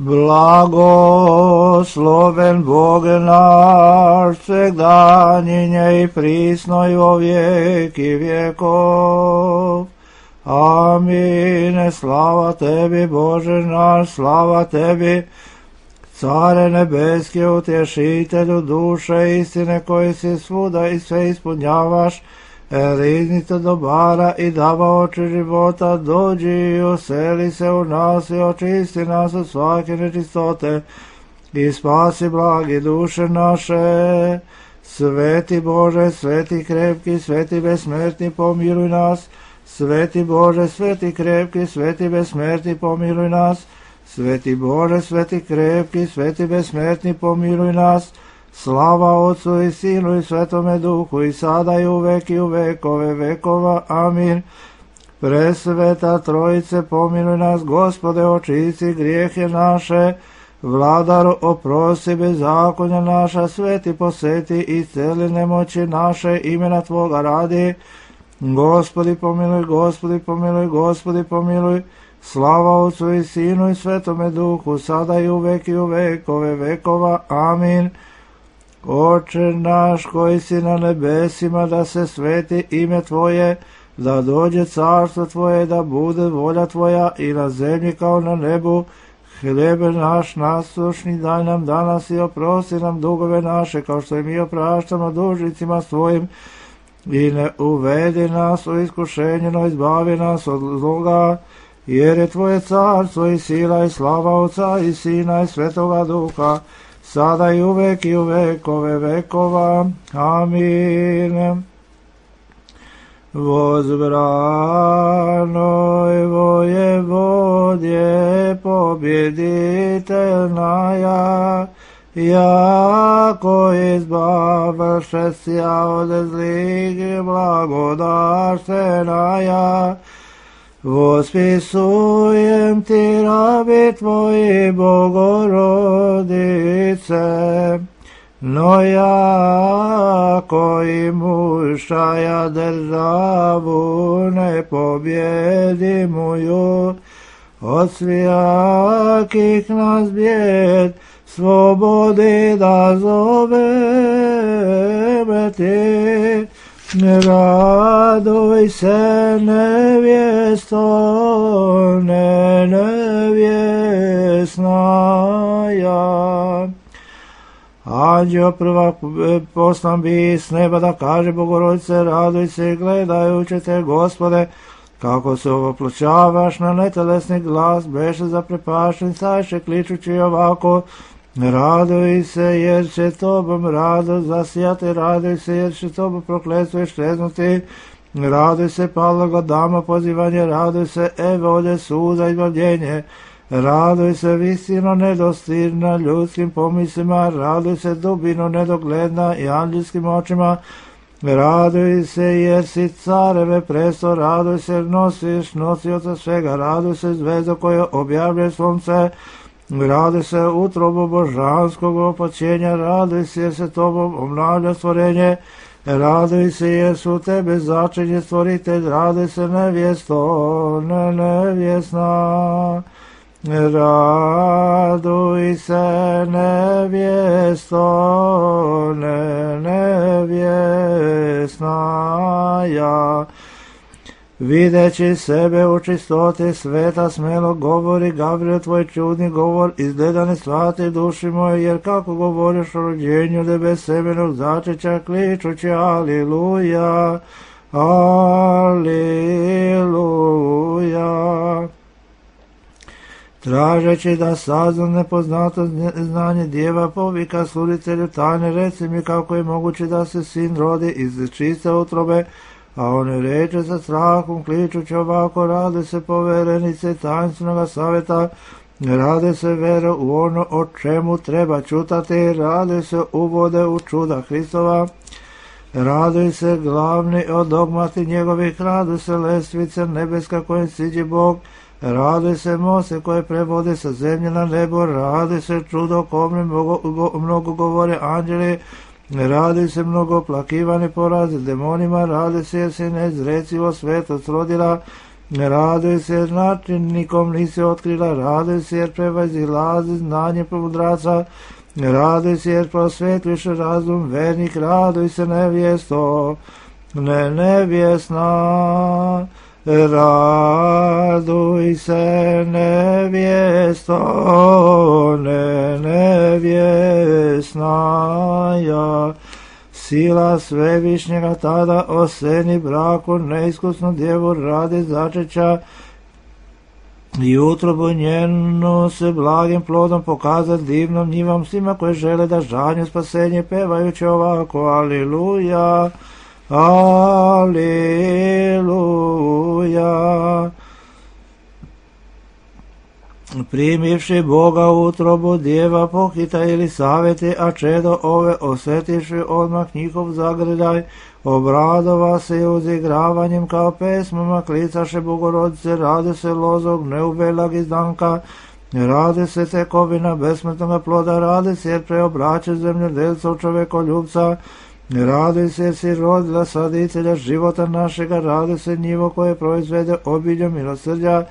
Blagosloven Bog naš, svegdaninje i prisno i vo vijeki vjekov. Amin. Slava tebi, Bože naš, slava tebi, Care nebeski, utješitelju duše istine, koji si svuda i sve ispunjavaš, riznica dobara i davaoči života, dođi i useli se u nas i očisti nas od svake nečistote i spasi blagi duše naše. Sveti Bože, sveti krepki, sveti besmrtni, pomiluj nas. Sveti Bože, sveti krepki, sveti besmrtni, pomiluj nas. Sveti Bože, sveti krepki, sveti besmrtni, pomiluj nas. Slava Otcu i Sinu i Svetome Duhu, i sada i uvek i u vekove vekova. Amin. Presveta Trojice, pomiluj nas. Gospode, očisti grijehe naše. Vladaru, oprosti bezakonja naša. Sveti, poseti i celi nemoći naše, imena Tvoga radi. Gospodi pomiluj, Gospodi pomiluj, Gospodi pomiluj. Slava Otcu i Sinu i Svetome Duhu, sada i uvek i u vekove vekova. Amin. Oče naš koji si na nebesima, da se sveti ime Tvoje, da dođe carstvo Tvoje, da bude volja Tvoja i na zemlji kao na nebu. Hljebe naš nasušni daj nam danas i oprosti nam dugove naše, kao što i mi opraštamo dužnicima svojim. I ne uvedi nas u iskušenje, no izbavi nas od zloga, jer je Tvoje carstvo i sila i slava Otca i Sina i Svetoga Duha, sada i uvek i u vekove vekova. Amin. Возбранoj воеводje, побjeditelnaja, jako izbavše sja od zlih, blagodarstvenaja. Vospisujem ti, rabi Tvoji, Bogorodice, no jako i mušaja državu ne pobjedimuju, od svijakih nas bijed slobodi da zoveme ti. Raduj se, nevjesto, nevjesnaja. Anđeo prvak poslan bi s neba da kaže Bogorodice, raduj se gledajući te, Gospode, kako se ovoploćavaš na netelesni glas, beše zaprepašten, sajše kličući ovako, raduj se jer će Tobom radost zasijati, raduj se jer će Tobom prokletstvo iščeznuti, raduj se paloga dama pozivanje, raduj se evolje suza izbavljenje, raduj se visino nedostirna ljudskim pomislima, raduj se dubino nedogledna i anđelskim očima, raduj se jer si careve presto, raduj se jer nosiš nosioca svega, raduj se zvezdo koje objavljuje slunce, raduj se utrobu božanskog opaćenja, raduj se jer se Tobom obnavlja stvorenje, raduj se jer su Tebe začinje stvoritelj, raduj se nevjesto, nevjesna. Raduj se nevjesto, nevjesnaja. Videći sebe u čistoti sveta, smelo govori Gabriel tvoj čudni govor, izgleda ne shvati duši moje, jer kako govoriš o rođenju tebe semenog začeća, kličući aliluja, aliluja. Tražeći da sazna nepoznato znanje djeva, povika sluditelju tajne, reci mi kako je moguće da se sin rodi iz čiste utrobe, a on reče sa strahom, kličući ovako, rade se poverenice tajnstvenog savjeta, rade se vero u ono o čemu treba čutati, rade se uvode u čuda Hristova, raduj se glavni od dogmati njegovih, raduj se lestvice nebeska kojim siđe Bog, raduj se mose koje prevode sa zemlje na nebo, raduj se čudo kome mnogo govore anđeli, raduj se mnogo plakivani porazi demonima, raduj se jer si neizrecivo svetost rodila, Raduj se jer načinnikom nisi otkrila, raduj se jer prevazilazi znanje mudraca, raduj se jer prosvetliš razum vernik, raduj se nevjesto, nevjesna, raduj se nevjesto, nevjesna, ja. Sila Svevišnjega tada oseni braku neiskusnu djevu radi začeća i utrobu njenu se blagim plodom pokazati divnom njivom svima koji žele da žanju spasenje pevajući ovako aliluja, aliluja. Primivši Boga u utrobu djeva pohita ili savjeti, a čedo ove osjetivši odmah njihov zagredaj, obradova se uzigravanjem kao pesmama, klicaše Bogorodice, rade se lozog neubelag izdanka, rade se tekovina besmrtnoga ploda, rade se jer preobraće zemljodelca u čovekoljubca, rade se jer si rodila saditelja života našega, rade se njivo koje proizvede obilje milosrđa,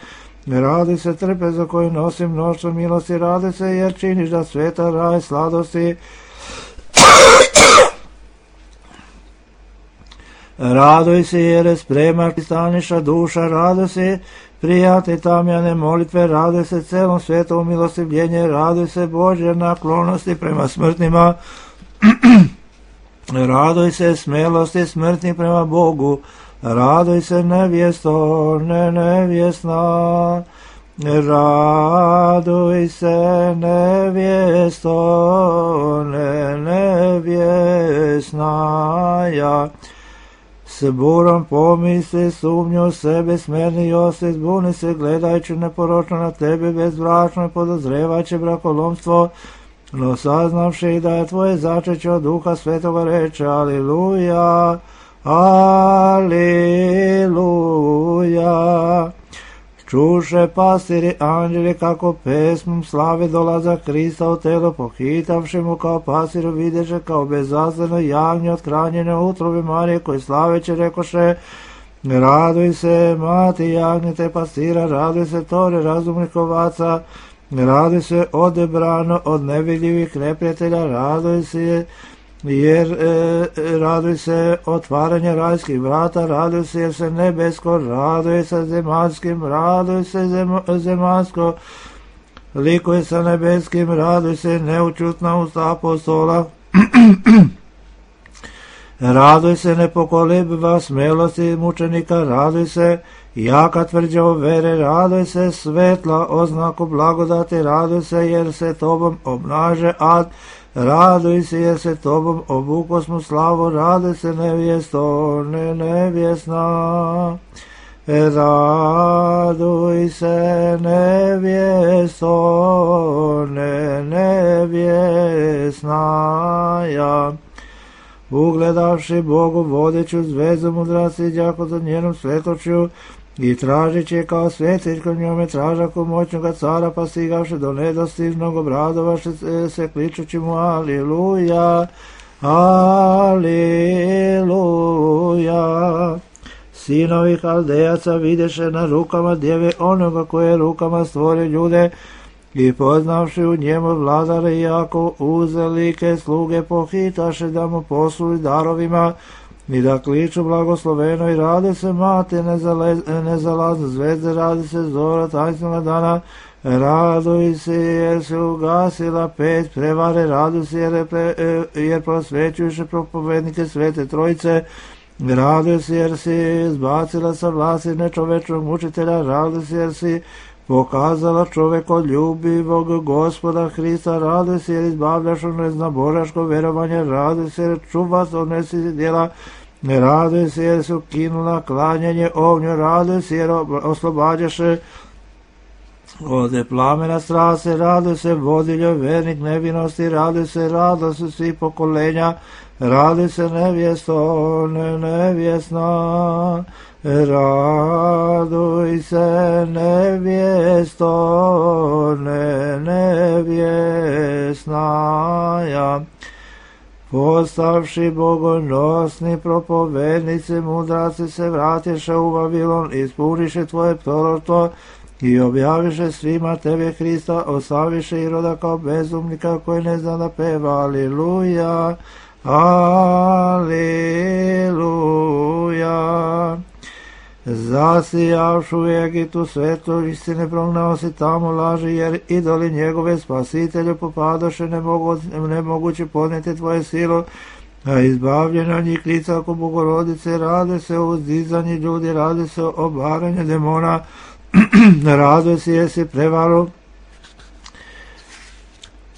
radi se trpeza koju nosi mnoštvo milosti, radi se jer činiš da sveta raj sladosti. Raduj se jer je sprema staniša duša, raduj se prijate tamjane molitve, raduj se celom svetom milostivljenje, raduj se Božje naklonosti prema smrtnima, raduj se smelosti smrtnih prema Bogu, raduj se nevjesto, nevjesna, raduj se nevjesto, nevjesna, ja. S burom pomisli, sumnju sebe, smerni Josip, zbuni se gledajući neporočno na tebe, bezbračno i podozrevajući brakolomstvo, no saznavši da je tvoje začeće od Duha Svetoga reče, aliluja, aliluja. Čuše pastiri anđeli kako pesmom slave dolaza Krista u telo, pohitavši mu kao pasiru videše kao bezazleno jagnje od hranjene utrobe Marije, koji slaveće rekoše, raduj se mati jagnjete pastira, raduj se tore razumnih ovaca, raduj se odebrano od nevidljivih neprijatelja, raduj se jer raduj se otvaranje rajskih vrata, raduj se jer se nebesko, raduj se zemaljskim, raduj se zemaljsko, likuje sa nebeskim, raduj se neučutna usta apostola, raduj se nepokolebiva smelosti mučenika, raduj se jaka tvrđava vere, raduj se svetla oznaku blagodati, raduj se jer se tobom obnaže ad, raduj se jer se tobom obukosmo slavu, raduj se nevjesto, nevjesna, raduj se nevjesto, nevjesna, ja. Ugledavši Bogu vodeću zvezdu mudraci đako za njenom svetočju i tražići je kao svetiljkom njome tražaku moćnoga cara, pa stigavši do nedostižnog obradovaše se kličući mu aliluja, aliluja. Sinovi Haldejaca videše na rukama djeve onoga koje rukama stvori ljude i poznavši u njemu vladare jako uzelike sluge pohitaše da mu posluži darovima i da kliču blagosloveno i rade se mate nezalazne zvezde, radi se zora tajnstvenog dana, raduj se jer se ugasila pet prevare, raduj se jer prosvećuješ propovednike Svete Trojice, raduj se jer si zbacila sa vlasti nečovečnog mučitelja, raduj se jer si pokazala čovekoljubivog Gospoda Hrista, raduj se jer izbavljaš od neznabožaškog verovanja, raduj se jer čuvaš od nesvjetih djela, raduj se jer si ukinula klanjanje ognju, raduj se jer oslobađaše od plamena strase, raduj se vodiljo vernik nevinosti, raduj se radost svih pokolenja, raduj se nevjesto, nevjesna, raduj se nevjesto, nevjesna, ja. Postavši bogonosni propovednici, mudraci se vratiše u Vavilon, ispuniše tvoje proroctvo i objaviše svima tebe Hrista, oslaviše Iroda kao bezumnika koji ne zna da peva. Aliluja, aliluja. Zasijavšu u Egitu svetlo istine, prognao si tamo laži, jer idoli njegove spasitelju popadoše, nemoguće podnijeti tvoje silo, a izbavljena njih lica oko Bogorodice, rade se o uzdizanju ljudi, rade se o obaranju demona, raduje si jesi prevaru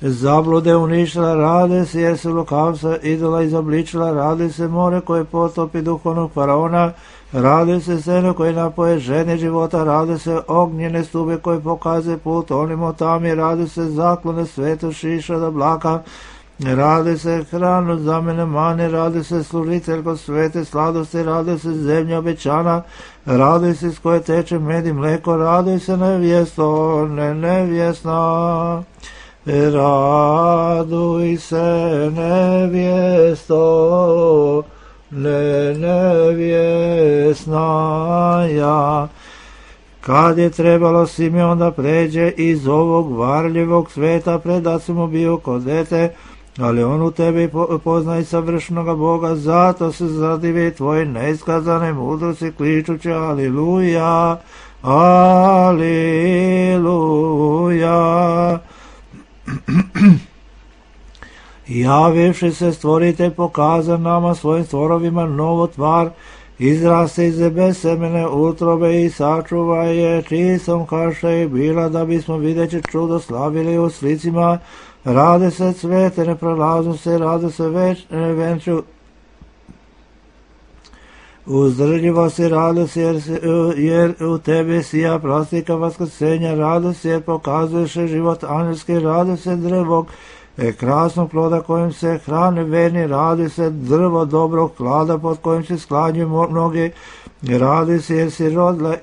zablude uništila, rade se jer se lukavca idola izobličila, rade se more koje potopi duhovnog faraona, rade se seno koje napoje žene života, rade se ognjene stube koje pokaze put onim otami, rade se zaklone sveto šiša da blaka, rade se hranu za mene mane, rade se služitelj kod svete sladosti, rade se zemlja obećana, rade se s koje teče med i mleko, rade se nevjesto, nevjesna. Raduj se nevjesto, nevjesna ja. Kad je trebalo Simeon da pređe iz ovog varljivog sveta, predat mu bio kod dete, ali on u tebi poznaj savršenoga Boga, zato se zadivi tvoji neiskazane mudrosti, kličući aliluja, aliluja. Javivši se stvoritelj pokaza nama svojim stvorovima novo tvar, izraste iz bez semene utrobe i sačuva je čistom kaša i bila, da bismo videći čudo slavili u slicima. Rade se cvete neprolaznosti, rade se venču uzdržljivosti, rade se jer u tebi sija plastika vaskrsenja, rade se jer pokazuješ život angelski, rade se drvog krasnog ploda kojim se hrane verni, radi se drvo dobrog klada pod kojim se sklanjuju mnogi, radi se jer si rodila,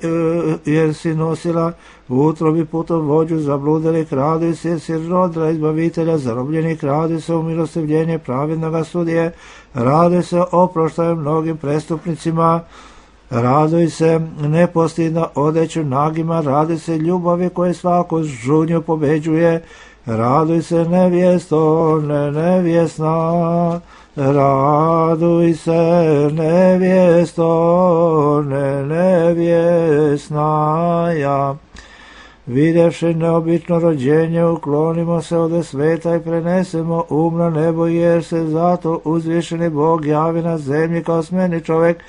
jer si nosila u utrobi putovođu zabludelih, radi se jer si rodila izbavitelja zarobljenih, radi se umilostivljenje pravednoga sudije, radi se oproštaju mnogim prestupnicima, raduj se nepostidno odeću nagima, radi se ljubavi koje svaku žudnju pobeđuje, raduj se nevjesto, nevjesna, raduj se nevjesto, nevjesna ja. Vidjevši neobično rođenje, uklonimo se od sveta i prenesemo na nebo, jer se zato uzvišeni Bog javi na zemlji kao smeni čovjek,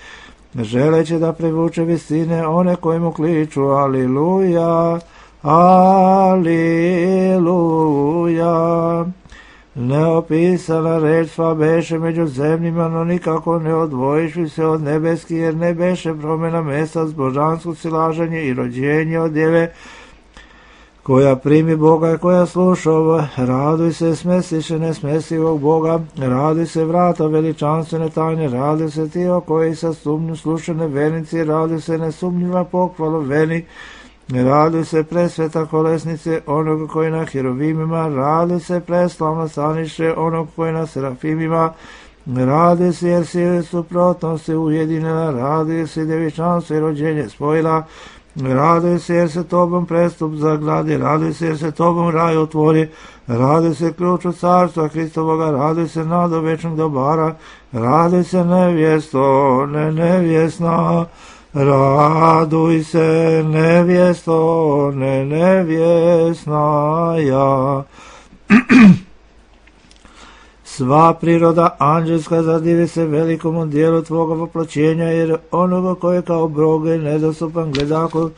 želeći da privuče visine one koji mu kliču aliluja, aliluja. Neopisana reč sva beše među zemljima, no nikako ne odvojiši se od nebeski, jer ne beše promjena mesta s božanskog silaženje i rođenje od djeve, koja primi Boga i koja sluša ovo. Raduj se smestiše nesmestivog Boga, raduj se vrata veličanstvene tajne, raduj se ti o koji sa sumnju slušane vernici, raduj se nesumnjiva pohvalu veni, raduj se presveta kolesnice onog koji na hirovimima, raduj se preslavno stanište onog koji na serafimima, raduj se jer si suprotnosti ujedinila, raduj se devičanstvo i rođenje spojila, raduj se jer se tobom prestup zagradi, raduj se jer se tobom raj otvori, raduj se ključ od carstva Hristovoga, raduj se nado večnog dobara, raduj se nevjesto, nevjesna, raduj se nevjesto, nevjesna ja. Sva priroda anđelska zadivi se velikomu dijelu tvoga voploćenja, jer onoga koji je kao Bogu nedostupan gledaku,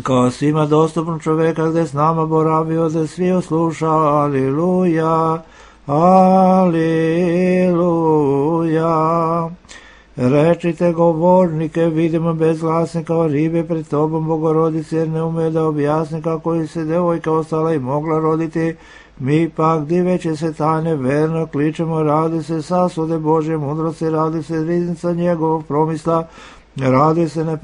kao svima dostupno čovjeka, gdje s nama boravio, da svi osluša, aliluja, aliluja. Rečite govornike, vidimo bezglasni kao ribe pred tobom, Bogorodice, jer ne ume da objasni kako se devojka ostala i mogla roditi. Mi pak, diveći se tajne, verno kličemo, radi se sasude Božje mudrosti, radi se riznica njegovog promisla, Raduj se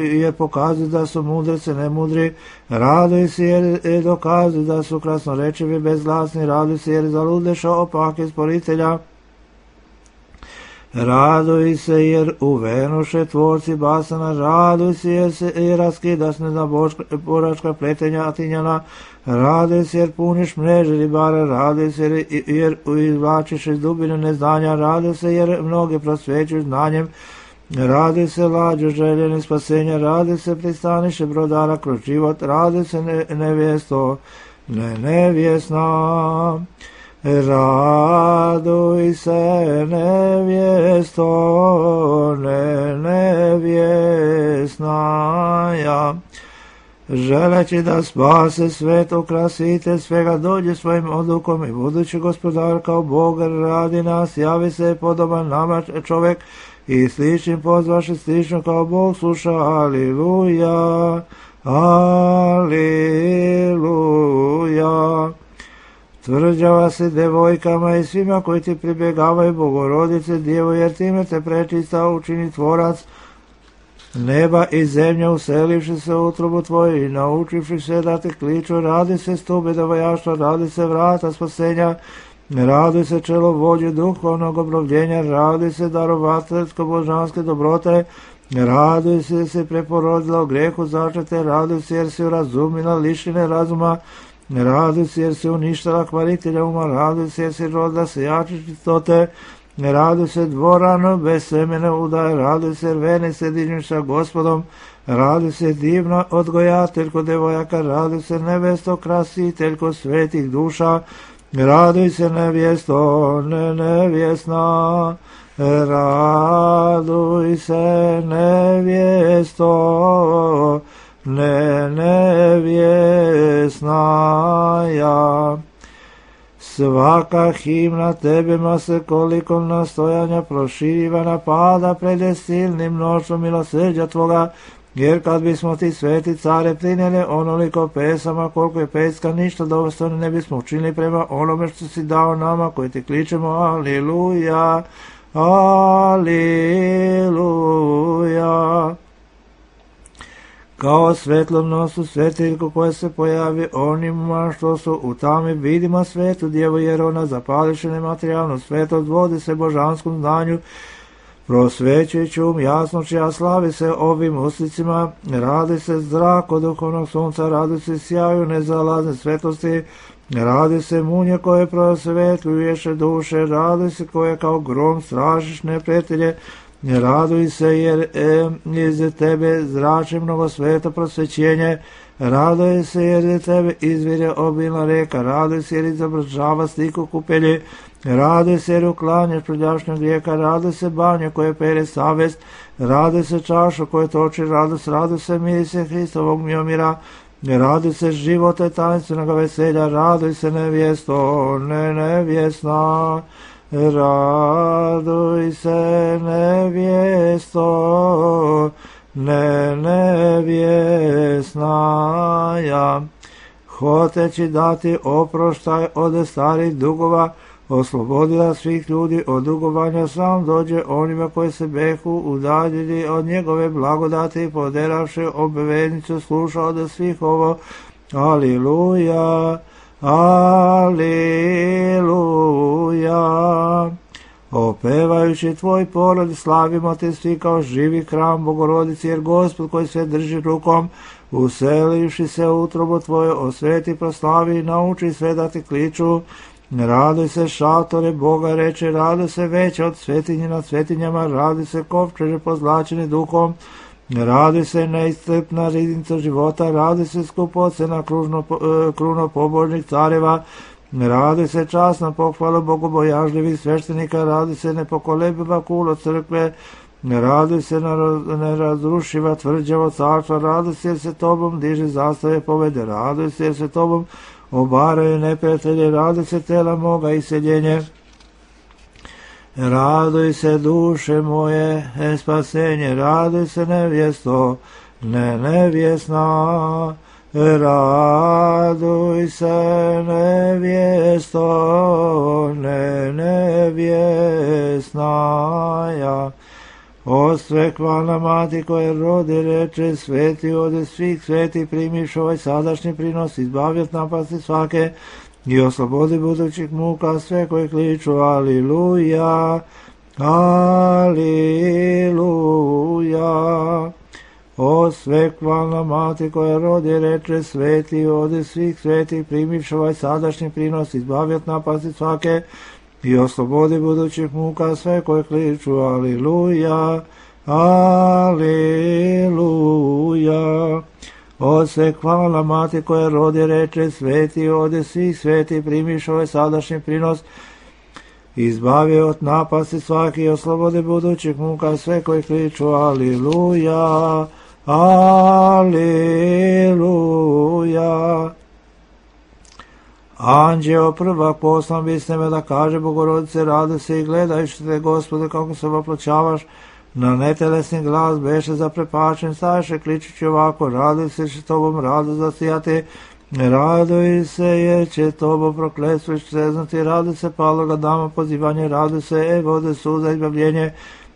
jer pokazuju da su mudrice nemudri, raduj se jer dokazuju da su krasnorečivi bezglasni, raduj se jer zaludeša opake sporitelja, raduj se jer uvenuše tvorci basana, raduj se jer raskidaš neznaboračka pletenja atinjana, raduj se jer puniš mreže ribara, raduj se jer izvlačiš iz dubine neznanja, raduj se jer mnoge prosvećuš znanjem, raduj se lađo željeni spasenja, raduj se pristaniše brodara kroz život, raduj se nevjesto, nevjesna. Raduj se nevjesto, nevjesnaja. Želeći da spase svet, okrasite svega, dođe svojim odlukom i budući gospodar kao Bog radi nas, javi se podoban nama čovjek i sličnim pozvaši slično kao Bog sluša. Aliluja, aliluja. Tvrđava se devojkama i svima koji ti pribjegavaju, Bogorodice Djevo, jer time te prečista učini tvorac neba i zemlje, uselivši se u utrobu tvoju i naučivši se da te kliču. Radi se stube devojaštva, radi se vrata spasenja, radi se čelo vođe duhovnog obnovljenja, radi se darovateljsko-božanske dobrote, radi se preporodila u grehu začete, radi se jer si urazumila lišine razuma, raduj se jer se uništala kvaritelja uma, raduj se jer si rodila sejače čistote, raduj se dvorano bez semene udaje, raduj se jer vene se dižniš sa Gospodom, raduj se divna odgojateljko devojaka, raduj se nevesto krasiteljko svetih duša, raduj se nevjesto, nevjesna, raduj se nevjesto, nevjesnaja. Svaka himna tebema se koliko nastojanja proširiva napada pred silnim noćom milosrđa tvoga, jer kad bismo ti sveti care prinjeli onoliko pesama koliko je peska, ništa dostojno ne bismo učinili prema onome što si dao nama koji ti kličemo. Aliluja, aliluja. Kao svetlom nosu svetiljku koja se pojavi onima što su u tami, vidimo svetu djevu, jer ona zapališe nematerijalnu svetost, vodi se božanskom znanju, prosvećujući jasnoći, a slavi se ovim uslicima, radi se zrak od duhovnog sunca, radi se sjaju nezalazne svetosti, radi se munje koje prosvetljuješe duše, radi se koje kao grom strašiš neprijatelje, raduj se jer iz tebe zrači mnogo sveto prosvećenje, raduj se jer iz tebe izvire obilna reka, raduj se jer izobržava sliku kupelje, raduj se jer uklanjaš prljašnjeg grijeka, raduj se banje koje pere savest, raduj se čašu koje toči radost, raduj se mirise Hristovog miomira, raduj se živote tanstvenoga veselja, raduj se nevjesto, nevjesna, raduj se nevjesto, nevjesnaja. Hoteći dati oproštaj od starih dugova, oslobodila svih ljudi od dugovanja, sam dođe onima koji se behu udaljili od njegove blagodati i poderavši obveznicu sluša od svih ovo. Aliluja, aliluja. Opevajući tvoj porod, slavimo te svi kao živi hram Bogorodici, jer Gospod koji sve drži rukom, uselivši se u utrobu tvoje, osveti, proslavi i nauči sve da ti kliču. Raduj se šatore Boga reče, raduj se veće od svetinje nad svetinjama, raduj se kovčeže pozlačeni duhom, raduj se neiscrpna riznica života, raduj se skupocena kruno pobožnih careva, raduj se časna pohvala bogobojažljivih sveštenika, raduj se nepokolebiva kulo crkve, raduj se nerazrušiva tvrđavo carstva, raduj se jer se tobom diže zastave povede, raduj se jer se tobom obaraju neprijatelje, raduj se tela moga iseljenje. Raduj se duše moje, spasenje, raduj se nevjesto, nevjesna, raduj se nevjesto, nevjesnaja. O svekvalna mati koja rodi reče, sveti ode svih sveti, primiš ovaj sadašnji prinos, izbavi od napasti svake i oslobodi budućih muka sve koji kliču aliluja, aliluja. O svekvalna mati koja rodi reče, sveti ode svih sveti, primiš ovaj sadašnji prinos, izbavi od napasti svake i oslobodi budućih muka sve koje kliču aliluja, aliluja. O svekvalna mati koja rodi reče, sveti ode svih sveti, primiš ovaj sadašnji prinos, izbavi od napasti svaki i oslobodi budućih muka sve koje kliču aliluja, aliluja. Anđeo prvak poslan bi s nebe da kaže Bogorodice, radi se i gledajući te, Gospode, kako se oploćavaš, na netelesni glas beše zaprepačen, staše kličući ovako, raduj se će tobom rado zasijati, raduj se jer će tobo prokletstvo iščeznati, raduj se paloga dama pozivanje, raduj se vode suza izbavljenje,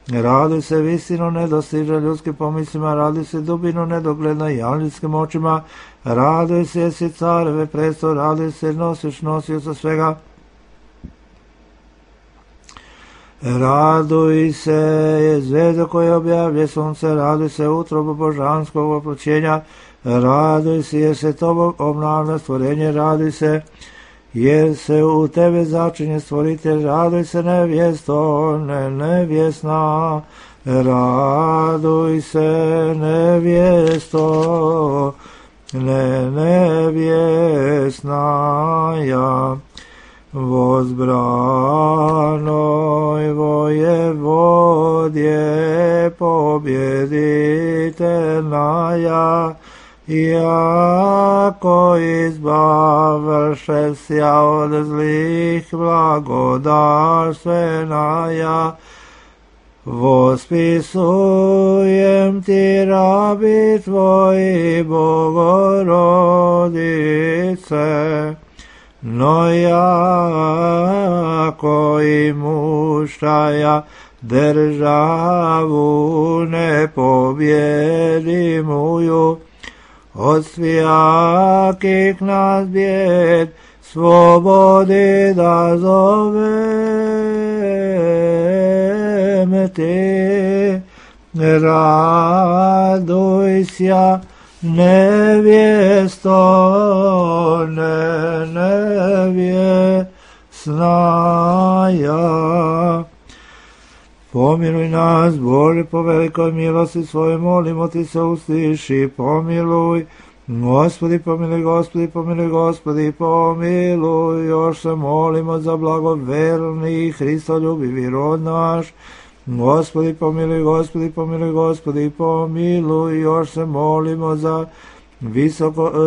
raduj se visino nedostiže ljudskim pomislima, raduj se dubino nedogledna janljskim očima, raduj se jesi careve presto, raduj se nosio sa svega, raduj se je zvezda koja objavlje sunce, raduj se utrobu božanskog oploćenja, raduj se jer se tobom obnavlja stvorenje, raduj se jer se u tebe začinje stvoritelj, raduj se nevjesto, nevjesna, raduj se nevjesto, nevjesna ja, vozbranoj vojevodje pobjediteljna ja, jako izbavlše sja od zlih blagodarstvena ja, vospisujem ti rabi tvoji Bogorodice, no jako i mušaja državu nepobjedimuju, od svijakih nas bijed slobodi da zovem ti, raduj sja nevjesto, nevjesna ja. Pomiluj nas, Bože, po velikoj milosti svoje, molimo ti se, usliši, pomiluj. Gospodi, pomiluj, Gospodi, pomiluj, Gospodi, pomiluj. Još se molimo za blagoverni Hristoljubivi rod naš. Gospodi, pomiluj, Gospodi, pomiluj, Gospodi, pomiluj. Još se molimo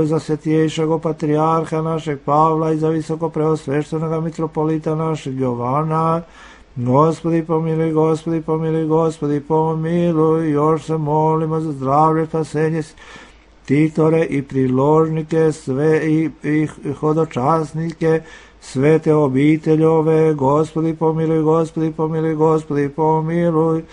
za svetiješeg patrijarha našeg Pavla i za visoko preosveštenog mitropolita našeg Jovana. Gospodi, pomiluj, Gospodi, pomiluj, Gospodi, pomiluj. Još se molimo za zdravlje, spasenje tiktore i priložnike, sve i hodočasnike, svete obiteljove. Gospodi, pomiluj, Gospodi, pomiluj, Gospodi, pomiluj.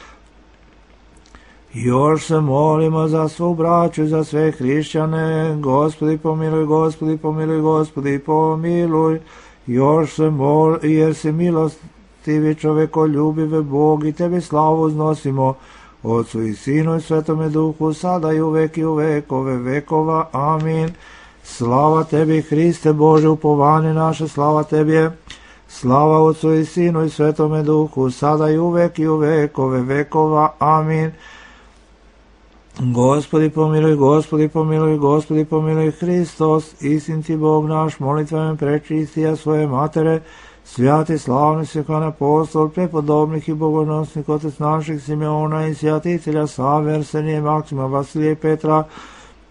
Još se molimo za svu braću, za sve hrišćane. Gospodi, pomiluj, Gospodi, pomiluj, Gospodi, pomiluj. Još se molimo, jer si milostivi čovekoljubive Bog i tebi slavu uznosimo, Otcu i Sinu i Svetome Duhu, sada i u vekove vekova. Amin. Slava tebi, Hriste Bože, upovanje naše, slava tebi. Slava Otcu i Sinu i Svetome Duhu, sada i u vekove vekova. Amin. Gospodi pomiluj, Gospodi pomiluj, Gospodi pomiluj, Hristos, istiniti Bog naš, molitvama prečistija svoje matere, svjati slavni Svekan apostol, prepodobnih i bogonosnih otec naših Simeona i svjatitelja Save, Arsenije, Maksima, Vasilije, Petra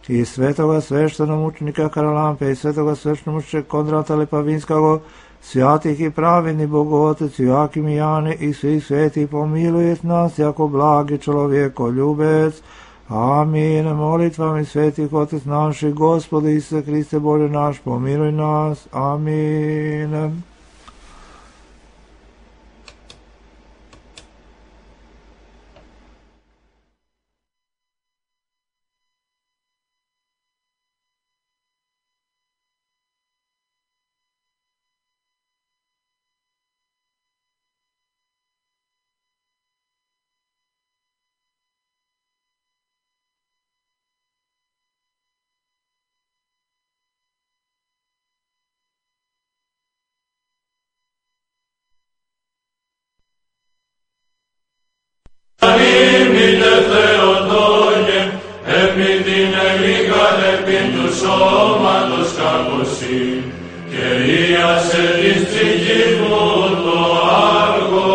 i svetoga sveštenomučenika Karalampe i svetoga sveštenomučenika Kondrata Lepavinskog, svjatih i pravedni Bogotec Joakim i Jane i svih svetih, pomilujet nas jako blagi čovjekoljubec. Amin. Molitvami svetih otec naših, Gospodi Isuse Hriste Bože naš, pomiluj nas. Amin. Θεοτόκε, επί την ελίγαν επί του σώματος κακοσύ, και ίασε της ψυχής μου το άργο.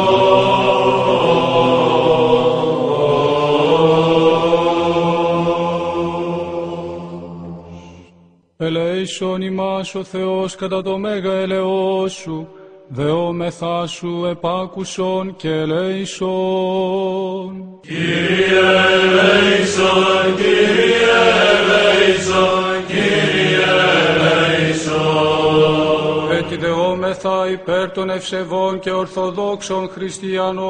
Ελέησον ημάς ο Θεός κατά το μέγα ελεός σου, δεόμεθά σου επάκουσον και ελέησον. Κύριε ελέησον, Κύριε ελέησον, Κύριε ελέησον. Έτσι δεόμεθα υπέρ των ευσεβών και ορθοδόξων χριστιανών.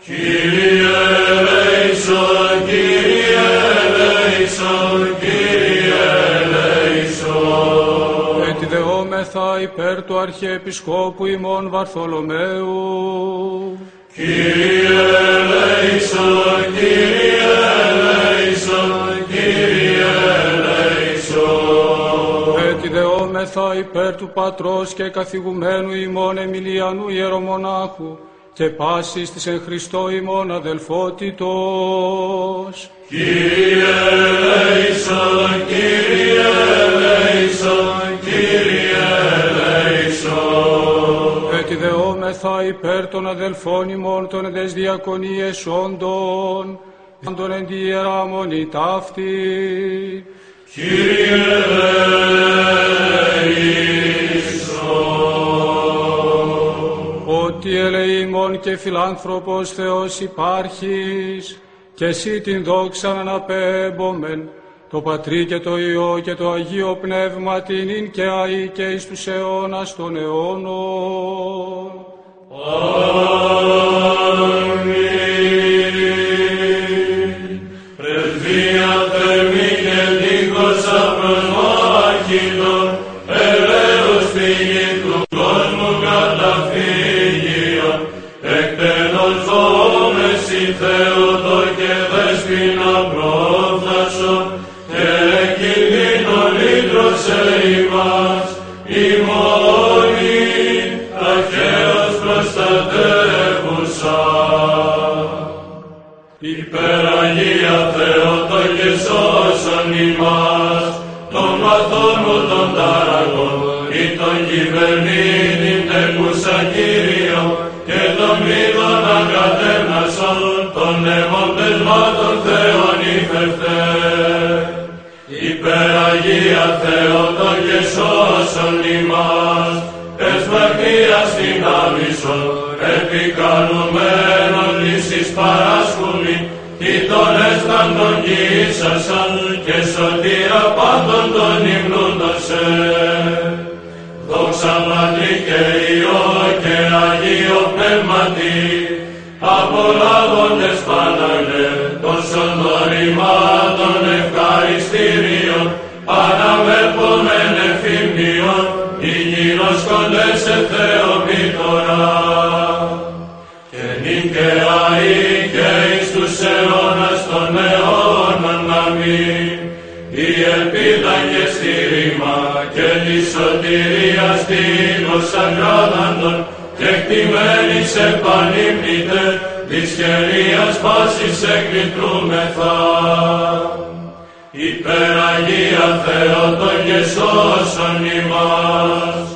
Κύριε ελέησον, Κύριε ελέησον, Κύριε ελέησον. Έτσι δεόμεθα υπέρ του Αρχιεπισκόπου ημών Βαρθολομαίου. Κύριε ελέησον, Κύριε ελέησον, Κύριε ελέησον. Έτσι δεόμεθα υπέρ του Πατρός και καθηγουμένου ημών Εμιλιανού Ιερομονάχου και πάσης της εν Χριστώ ημών αδελφότητος. Κύριε ελέησον, Κύριε ελέησον, Κύριε ελέησον. Έτσι δεόμεθα υπέρ των αδελφών ημών των εδες διακονίες όντων, των εν τη Ιερά Μονή ταύτη. Κύριε ελέησον. Ότι ελεήμων και φιλάνθρωπος Θεός υπάρχεις, και εσύ την δόξαν αναπέμπομεν, το Πατρί και το Υιό και το Αγίο Πνεύμα την ειν και αεί και εις τους αιώνας των αιώνων. Αμήν. Πρεσβεία θερμή και δίχως απροσμάχητον, ελέους φύγη του κόσμου καταφύγιον, εκτενώς δόμεση Θεότο και δέσποινα πρόφθασον, και κινδύνο λύτρωσε ημάς, ημώνη ταχαίως προστατεύουσα. Υπεραγία Θεότο και σώσον ημάς, των μαθών μου των ταραγών, ή των κυβερνήτην τεκούσα Κύριο, και των μύδων αγκατέμνασον, των νεύων πεσμάτων Θεών υφευτέ. Υπεραγία Θεότο και σώσον ημάς, τες μαρτυρίας την άμυσον, επικαλουμένων λύσεις παράσκουμη, ή των έσταντων γύσασαν, και σωτήρα πάντων των υμνούντων σε. Δόξα Πατρί και Υιό και Αγίο Πνεύματι, απολάβοντες Παναγλέ, τόσων δωρημάτων ευχαριστήριων, αναμερπομεν εφήμνιον, οι γύρος κοντές σε Θεομήτωρα. Και νυν και αεί και εις τους αιώνας των αιώνων αμήν. Η ελπίδα και στήριγμα και τη σωτηρία στήλος ακράδαντων, και κτημένης επανύπνητε, της χερίας πάσης εκκλητρούμεθα. Υπεραγία Θεότο και σώσον ημάς,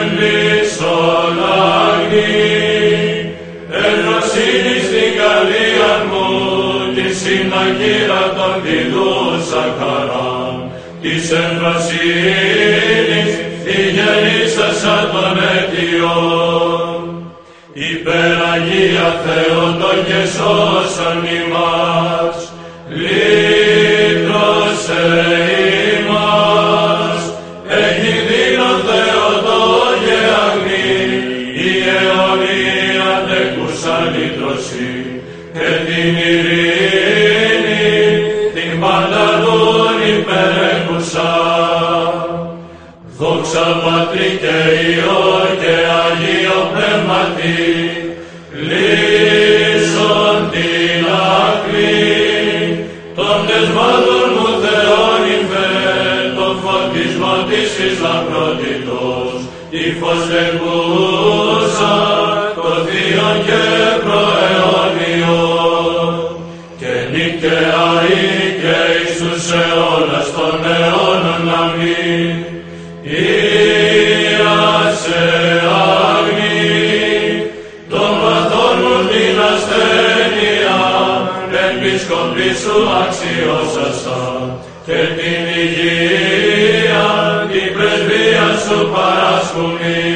έμπλησον αγνή, ευγνωσύνη στην καρδία μου, τη συναγύρα των διδούσα χαράν, της ευγνωσύνης τη γεννήσασα των αιτιών. Υπεραγία Θεότο και σώσον ημάς, λύτρωσε ημάς, έχει δίνον Θεότο και αγνή, η αιωνία τεκούσα λύτρωση, και την ειρήνη την πανταλούν υπερέχουσα. Δόξα Πατρί και Υιό και Αγίο Πνεύματι, λύσον την άκρη των δεσμάτων μου Θεόν υφέρ, το φωτισμό της λαμπρότητος, η φως τεκούσα, το θείον και προαιώνια. και αεί και εις τους αιώνας των αιώνων. Αμήν. Ήασε αγνή των παθών μου την ασθένεια, επίσκοπη σου αξιώσασα και την υγεία την πρεσβεία σου παρασκουμεί.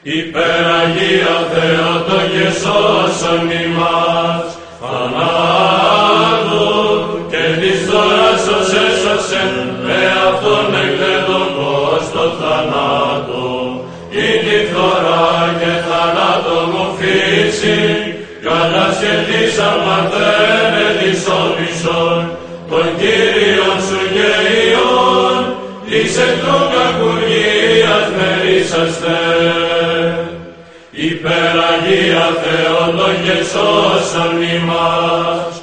Υπεραγία Θεότο και σώσον ημάς θανάτου και της θώρασος έσωσεν εαυτόν εκδέτων πως το θανάτο ή τη φθορά και θανάτο μου φύση κατασχετήσαν μαθαίνε της όμισον των Κύριων σου γεϊών της εκ των κακουργίας μερίσαστε. Υπεραγία Θεότο και σώσον ημάς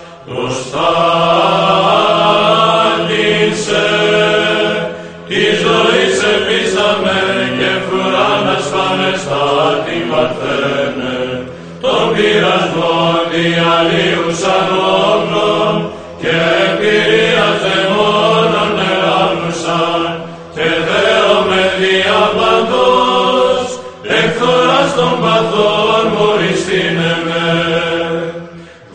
προστάτησε της ζωής επίσταμε και φρουράνας φανεστά την παρθένε των πειρασμών διαλύουσαν όπλων και εμπειρίας δαιμόνων ελάμνουσαν και δέομαι διαπαντός εκθοράς των παθών μου ριστήνεμαι.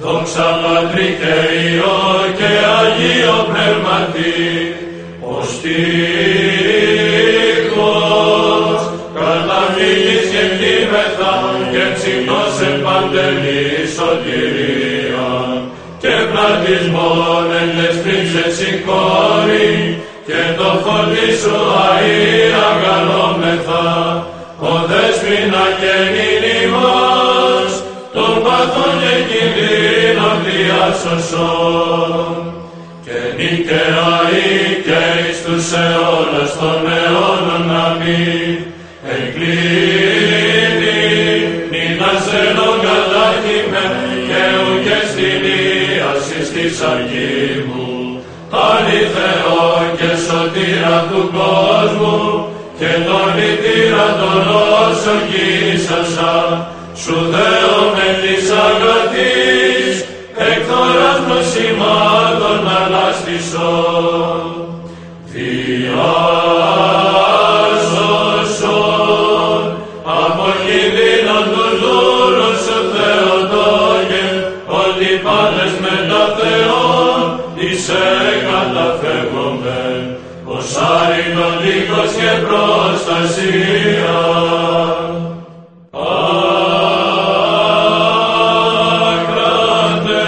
Δόξα Πατρί και Υιό και Αγίο Πνεύματι, ως τείχος καταφύγης και κτήμεθα και ψυχτός εν παντελή σωτηρία και πλατισμόν εν δεσπρίξε συγχώρη και το φωτί σου αεί αγαλόμεθα ο δέσποινα και νηνιμός των παθών και κινδύνων διάσωσον και νικαιαεί και εις τους αιώνας των αιώνων. Αμήν. Εγκλίνει νυν ασθενών κατάχυμε και ουκ στην ίασης της αργή μου αληθεώ και σωτήρα του κόσμου και τον ητήρα των όσων γύσασα σου δέομαι της αγαθής εκθοράς νοσημάτων ανάστησον. Διάσωσον από κινδύνων τους δούλους σου Θεοτόκε ότι πάντες μετά Θεόν είσαι καταφεύγομεν ως άρρητον δίχως και προστασία. Άκρατε,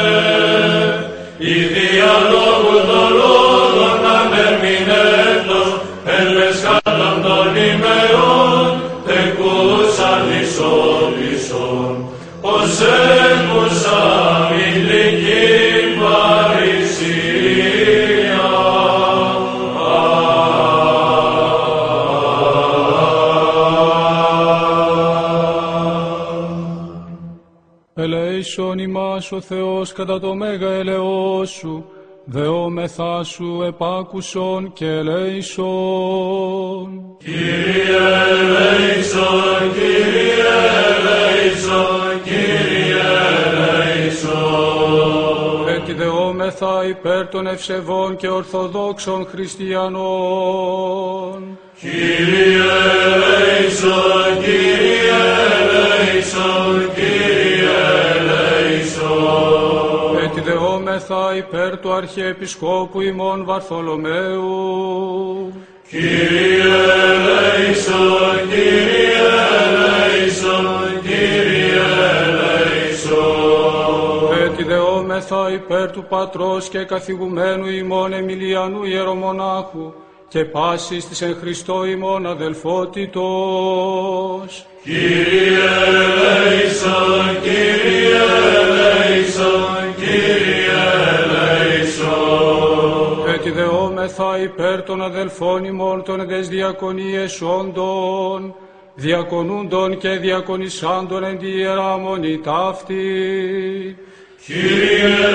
η διαλόγου των λόγων ανερμηνέτως, εν λεσκάτων των ημερών, τεκούσαν ισόλυσον, ως έκουσα ηλική παρησία. Ελέησον ημάς ο Θεός κατά το μέγα ελεός σου, δεόμεθά σου επάκουσον και ελέησον. Κύριε ελέησον, Κύριε ελέησον, Κύριε ελέησον. Έτσι δεόμεθα υπέρ των ευσεβών και ορθοδόξων χριστιανών. Κύριε ελέησον, Κύριε ελέησον, Κύριε ελέησον. Έτσι δεόμεθα υπέρ του Αρχιεπισκόπου ημών Βαρθολομαίου. Κύριε ελέησον, Κύριε ελέησον, Κύριε ελέησον. Έτσι δεόμεθα υπέρ του Πατρός και καθηγουμένου ημών Εμιλιανού Ιερομονάχου και πάσης της εν Χριστώ ημών αδελφότητος. Κύριε ελέησον, Κύριε ελέησον, Κύριε ελέησον. Έτσι δεόμεθα υπέρ των αδελφών ημών των εντες διακονίες όντων, διακονούντων και διακονισάντων εν τη Ιερά Μονή ταύτη. Κύριε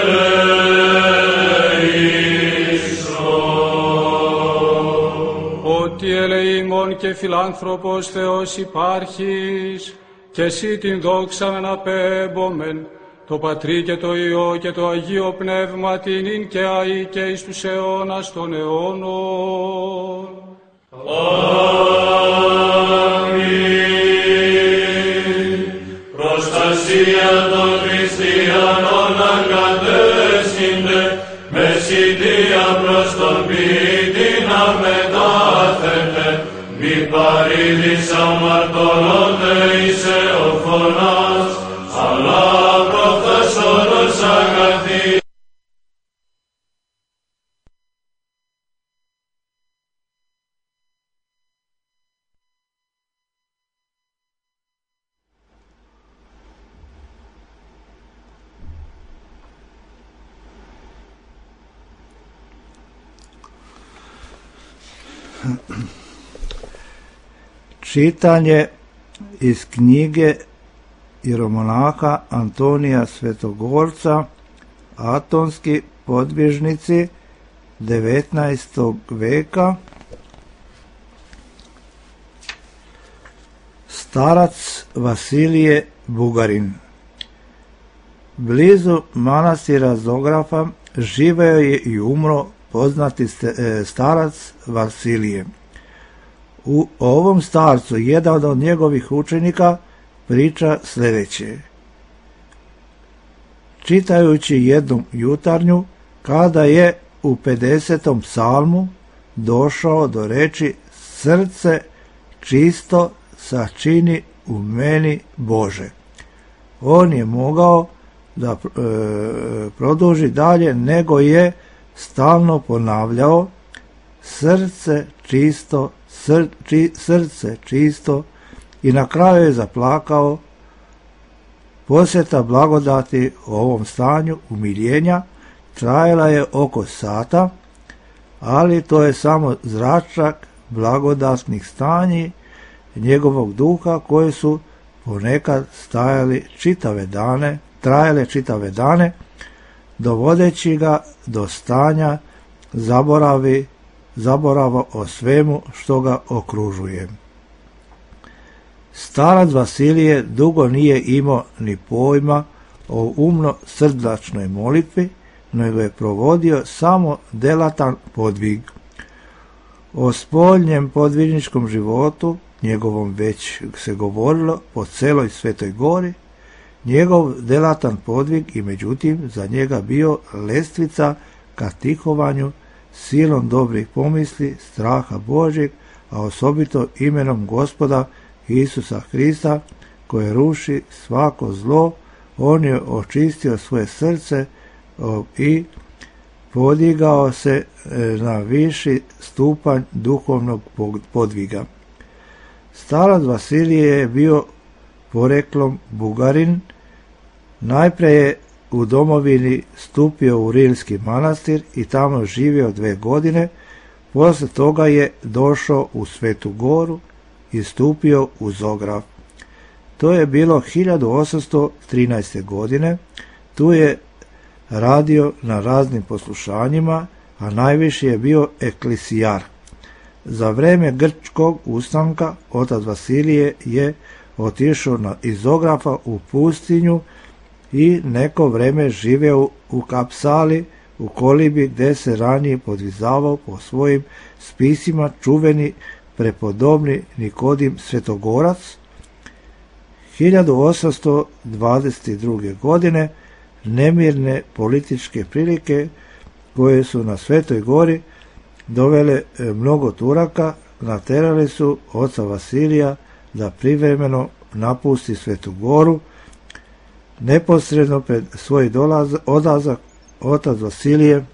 ελέησον. Ότι ελεήμων και φιλάνθρωπος Θεός υπάρχεις, και εσύ την δόξα αναπέμπομεν, το Πατρί και το Υιό και το Αγίο Πνεύμα την ειν και αεί και εις τους αιώνας των αιώνων. Αμήν. Προστασία των χριστιανών αγκατέσχυνται, μεσητεία προς τον ποιητή να μετάθετε, μη παρήδης αμαρτωλώνται εις εοφωνάς, αλλά προφθασόρος αγαθή. Čitanje iz knjige jeromonaha Antonija Svetogorca, Atonski podvižnici 19. veka. Starac Vasilije Bugarin. Blizu manastira Zografa živeo je i umro poznati starac Vasilije. U ovom starcu jedan od njegovih učenika priča sljedeće. Čitajući jednu jutarnju, kada je u 50. psalmu došao do reči srce čisto sačini u meni Bože, on je mogao da produži dalje, nego je stalno ponavljao srce čisto, srce čisto, i na kraju je zaplakao. Posjeta blagodati u ovom stanju umiljenja trajala je oko sata, ali to je samo zračak blagodatnih stanji njegovog duha koje su ponekad trajale čitave dane, dovodeći ga do stanja zaborava o svemu što ga okružuje. Starac Vasilije dugo nije imao ni pojma o umno-srdačnoj molitvi, nego je provodio samo delatan podvig. O spoljnjem podvižničkom životu, njegovom već se govorilo po celoj Svetoj Gori, njegov delatan podvig i međutim za njega bio lestvica ka tihovanju silom dobrih pomisli, straha Božjeg, a osobito imenom Gospoda Isusa Hrista, koje ruši svako zlo. On je očistio svoje srce i podigao se na viši stupanj duhovnog podviga. Starac Vasilije je bio poreklom Bugarin. Najprije je u domovini stupio u Rilski manastir i tamo živio 2 godine. Poslije toga je došao u Svetu Goru i stupio u Zograf. To je bilo 1813. godine. Tu je radio na raznim poslušanjima, a najviši je bio eklesijar. Za vreme grčkog ustanka otac Vasilije je otišao iz Zografa u pustinju i neko vreme živeo u Kapsali, u kolibi gdje se ranije podvizavao po svojim spisima čuveni prepodobni Nikodim Svetogorac. 1822. godine nemirne političke prilike koje su na Svetoj Gori dovele mnogo Turaka, naterali su oca Vasilija da privremeno napusti Svetu Goru. Neposredno pred svoj odlazak otac Vasilije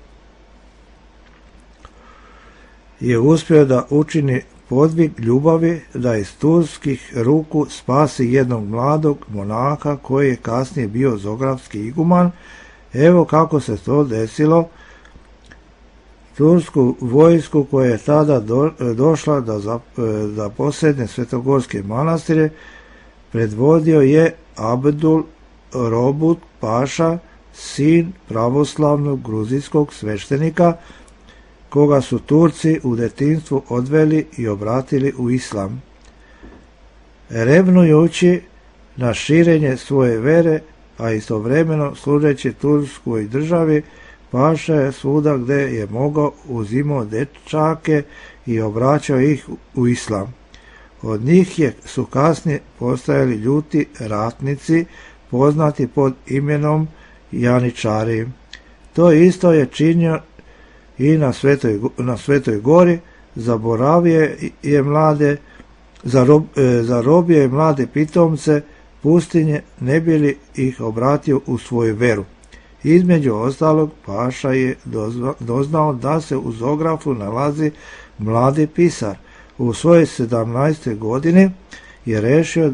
je uspio da učini podvig ljubavi, da iz turskih ruku spasi jednog mladog monaha koji je kasnije bio zografski iguman. Evo kako se to desilo. Tursku vojsku koja je tada došla da posedne svetogorske manastire predvodio je Abdul Robut Paša, sin pravoslavnog gruzijskog sveštenika, koga su Turci u detinjstvu odveli i obratili u islam. Revnujući na širenje svoje vere, a istovremeno služeći Turskoj državi, paša je svuda gde je mogao uzimao dečake i obraćao ih u islam. Od njih su kasnije postajali ljuti ratnici, poznati pod imenom Janičari. To isto je činio i na Svetoj gori, zarobio je mlade pitomce pustinje, ne bi li ih obratio u svoju veru. Između ostalog, paša je doznao da se u Zografu nalazi mladi pisar. U svojoj 17. godini je rešio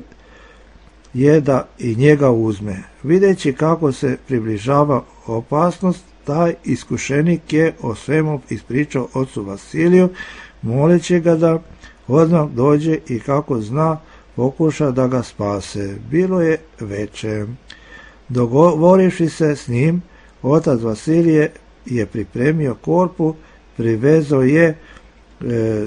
da i njega uzme. Videći kako se približava opasnost, taj iskušenik je o svemu ispričao ocu Vasiliju, moleći ga da odmah dođe i kako zna pokuša da ga spase. Bilo je veče. Dogovorivši se s njim, otac Vasilije je pripremio korpu, privezao je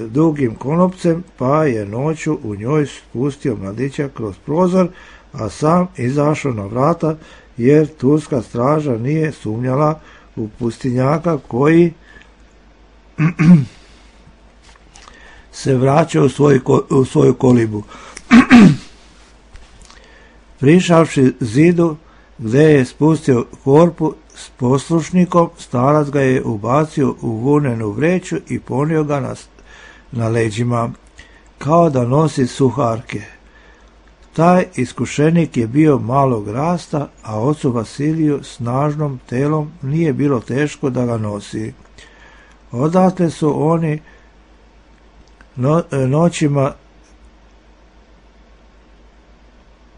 dugim konopcem, pa je noću u njoj spustio mladića kroz prozor, a sam izašao na vrata, jer turska straža nije sumnjala u pustinjaka koji se vraća u svoju kolibu. Prišavši zidu gde je spustio korpu s poslušnikom, starac ga je ubacio u vunenu vreću i ponio ga na leđima, kao da nosi suharke. Taj iskušenik je bio malog rasta, a ocu Vasiliju snažnom telom nije bilo teško da ga nosi. Odatle su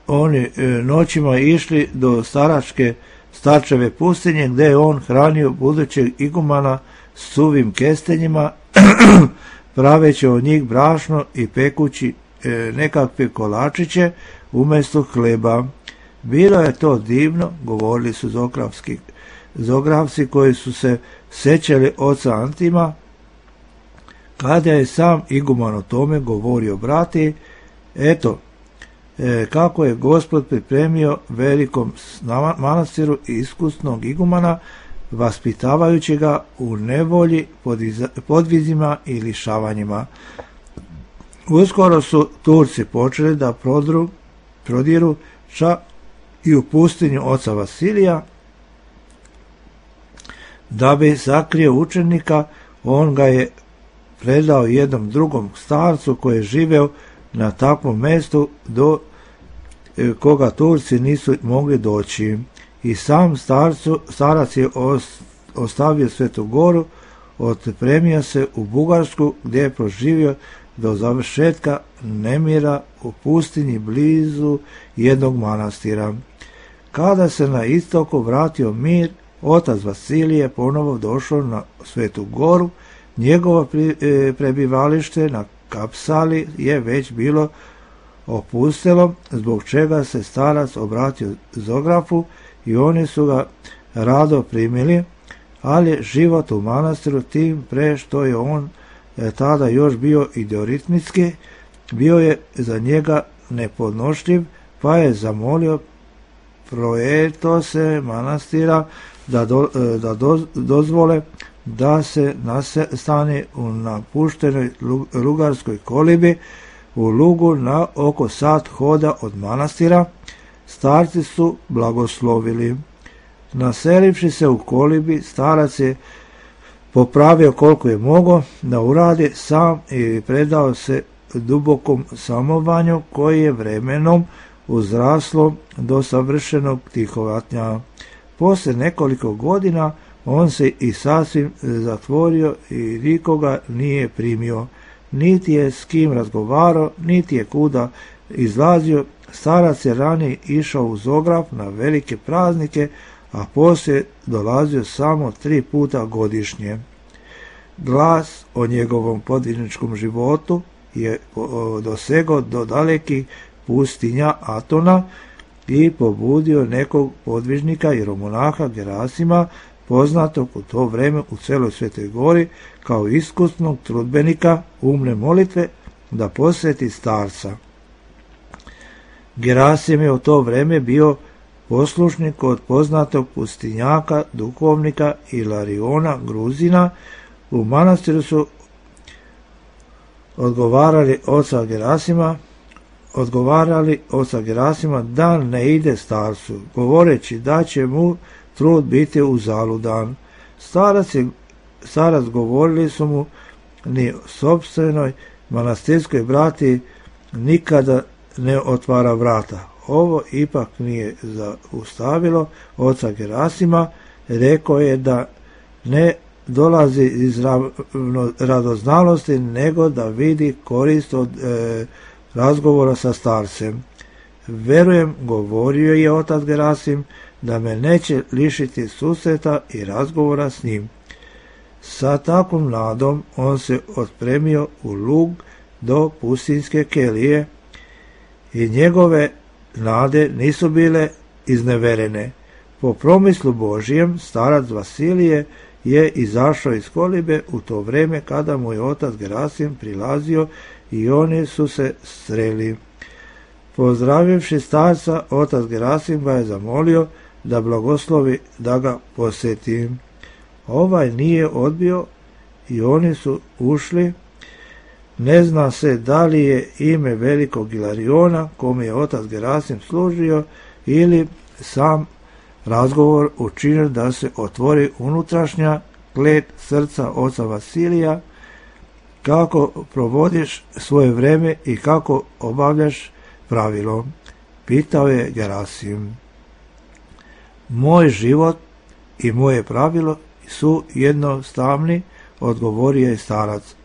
oni noćima išli do Starčeve pustinje, gde je on hranio budućeg igumana suvim kestenjima, praveći od njih brašno i pekući nekakve kolačiće umjesto hleba. Bilo je to divno, govorili su Zografci koji su se sećali oca Antima. Kada je sam iguman o tome govorio brati, eto, kako je Gospod pripremio velikom manastiru iskusnog igumana, vaspitavajući ga u nevolji, podvizima i lišavanjima. Uskoro su Turci počeli da prodiru čak i u pustinju oca Vasilija. Da bi sakrio učenika, on ga je predao jednom drugom starcu koji je živeo na takvom mestu do koga Turci nisu mogli doći. I sam starac je ostavio Svetu goru, otpremio se u Bugarsku, gdje je proživio do završetka nemira u pustinji blizu jednog manastira. Kada se na istoku vratio mir, otac Vasilije ponovo došao na Svetu goru. Njegovo prebivalište na Kapsali je već bilo opustelo, zbog čega se starac obratio Zografu i oni su ga rado primili, ali život u manastiru, tim pre što je on tada još bio idioritmitski, bio je za njega nepodnošljiv, pa je zamolio proetose manastira da dozvole da se nastane u napuštenoj lugarskoj kolibi u lugu na oko sat hoda od manastira. Starci su blagoslovili. Naselivši se u kolibi, starac je popravio koliko je mogao da uradi sam i predao se dubokom samovanju koji je vremenom uzraslo do savršenog tihovatnja. Posle nekoliko godina on se i sasvim zatvorio i nikoga nije primio, niti je s kim razgovarao, niti je kuda izlazio. Starac je ranije išao u Zograf na velike praznike, a poslije dolazio samo 3 puta godišnje. Glas o njegovom podvižničkom životu je dosegao do dalekih pustinja Atona i pobudio nekog podvižnika jeromonaha Gerasima, poznatog u to vreme u celoj Svetoj gori kao iskusnog trudbenika umne molitve, da posveti starca. Gerasim je u to vreme bio poslušni kod poznatog pustinjaka, duhovnika Ilariona Gruzina. U manastiru su odgovarali oca Gerasima da ne ide starcu, govoreći da će mu trud biti uzaludan. Starac govorili su mu, ni sopstvenoj manastirskoj brati nikada ne otvara vrata. Ovo ipak nije zaustavilo oca Gerasima, rekao je da ne dolazi iz radoznalosti, nego da vidi korist od razgovora sa starcem. Verujem, govorio je otac Gerasim, da me neće lišiti susreta i razgovora s njim. Sa takvom nadom on se otpremio u lug do pustinjske kelije i njegove nade nisu bile izneverene. Po promislu Božijem, starac Vasilije je izašao iz kolibe u to vreme kada mu je otac Gerasim prilazio i oni su se sreli. Pozdravivši starca, otac Gerasim ga je zamolio da blagoslovi da ga posjeti. Ovaj nije odbio i oni su ušli. Ne zna se da li je ime velikog Ilariona, kome je otac Gerasim služio, ili sam razgovor učinio da se otvori unutrašnja klet srca oca Vasilija, kako provodiš svoje vreme i kako obavljaš pravilo. Pitao je Gerasim. Moj život i moje pravilo su jednostavni, odgovorio je starac.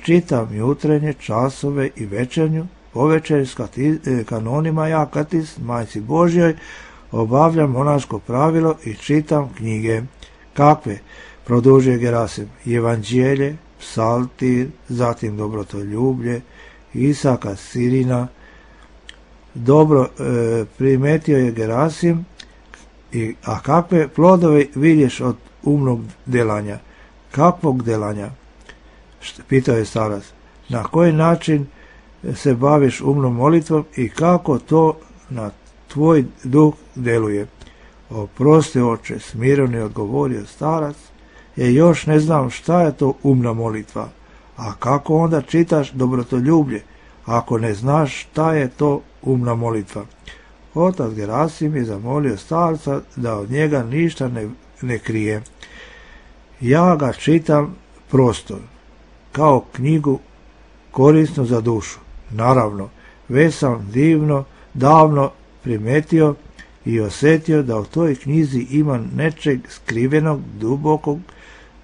Čitam jutrenje časove i večernju, povečer s kanonima Jakatis, majci Božjoj, obavljam monaško pravilo i čitam knjige. Kakve? Produžio Gerasim. Evanđelje, psaltir, zatim dobrotoljublje, Isaka Sirina. Dobro, primetio je Gerasim. A kakve plodove vidiš od umnog delanja? Kakvog delanja? Pitao je starac. Na koji način se baviš umnom molitvom i kako to na tvoj duh deluje? Oprosti, oče, smireno je odgovorio starac. Još ne znam šta je to umna molitva. A kako onda čitaš dobrotoljublje, ako ne znaš šta je to umna molitva? Otac Gerasim je zamolio starca da od njega ništa ne krije. Ja ga čitam prosto, kao knjigu korisnu za dušu. Naravno, već sam davno primetio i osjetio da u toj knjizi ima nečeg skrivenog, dubokog,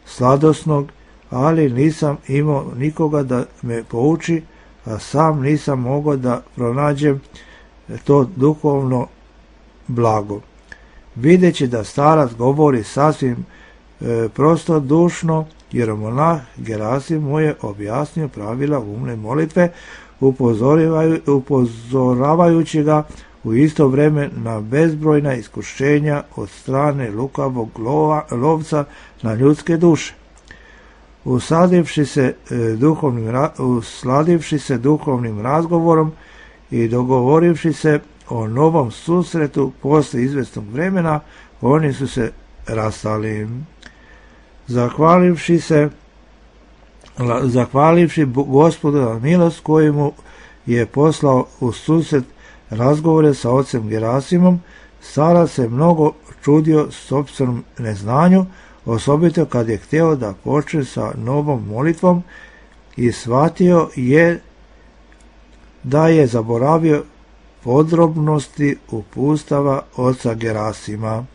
sladosnog, ali nisam imao nikoga da me pouči, a sam nisam mogao da pronađem to duhovno blago. Videći da starac govori sasvim prostodušno, jeromonah Gerasim mu je objasnio pravila umne molitve, upozoravajući ga u isto vrijeme na bezbrojna iskušenja od strane lukavog lovca na ljudske duše. Usladivši se duhovnim razgovorom i dogovorivši se o novom susretu poslije izvjesnog vremena, oni su se rastali. Zahvalivši Gospodu na milost koju mu je poslao u susret razgovore sa ocem Gerasimom, starac se mnogo čudio sopstvenom neznanju, osobito kad je htio da počne sa novom molitvom i shvatio je da je zaboravio podrobnosti upustava oca Gerasima.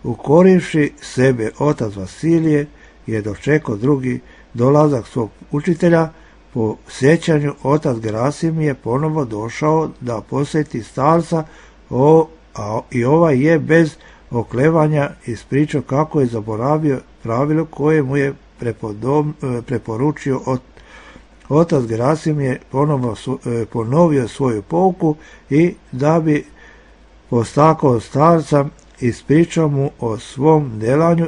Ukorivši sebe, otac Vasilije je dočekao drugi dolazak svog učitelja. Po sjećanju otac Gerasim je ponovo došao da posjeti starca i ovaj je bez oklevanja ispričao kako je zaboravio pravilo koje mu je preporučio otac Gerasim je ponovio svoju pouku i da bi postakao starca ispričao mu o svom delanju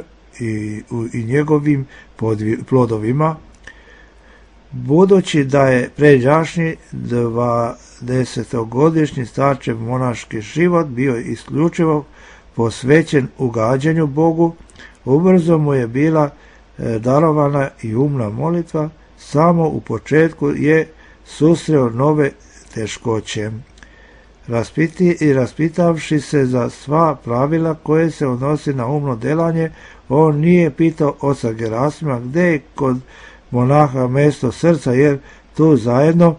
i njegovim plodovima. Budući da je pređašnji 20-godišnji starčev monaški život bio isključivo posvećen ugađanju Bogu, ubrzo mu je bila darovana i umna molitva. Samo u početku je susreo nove teškoće. Raspitavši se za sva pravila koje se odnosi na umno delanje, on nije pitao oca Gerasima gde je kod monaha mesto srca, jer tu zajedno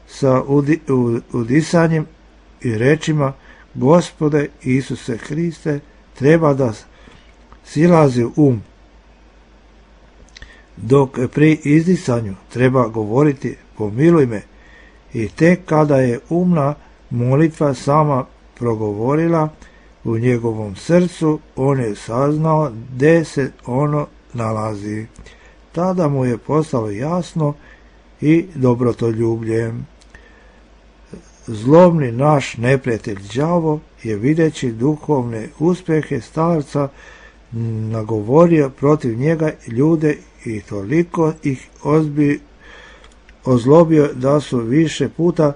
sa udisanjem i rečima Gospode Isuse Hriste treba da silazi um, dok pri izdisanju treba govoriti pomiluj me, i tek kada je umna molitva sama progovorila u njegovom srcu, on je saznao gde se ono nalazi. Tada mu je postalo jasno i dobrotoljublje. Zlobni naš neprijatelj đavo je videći duhovne uspjehe starca nagovorio protiv njega ljude i toliko ih ozlobio da su više puta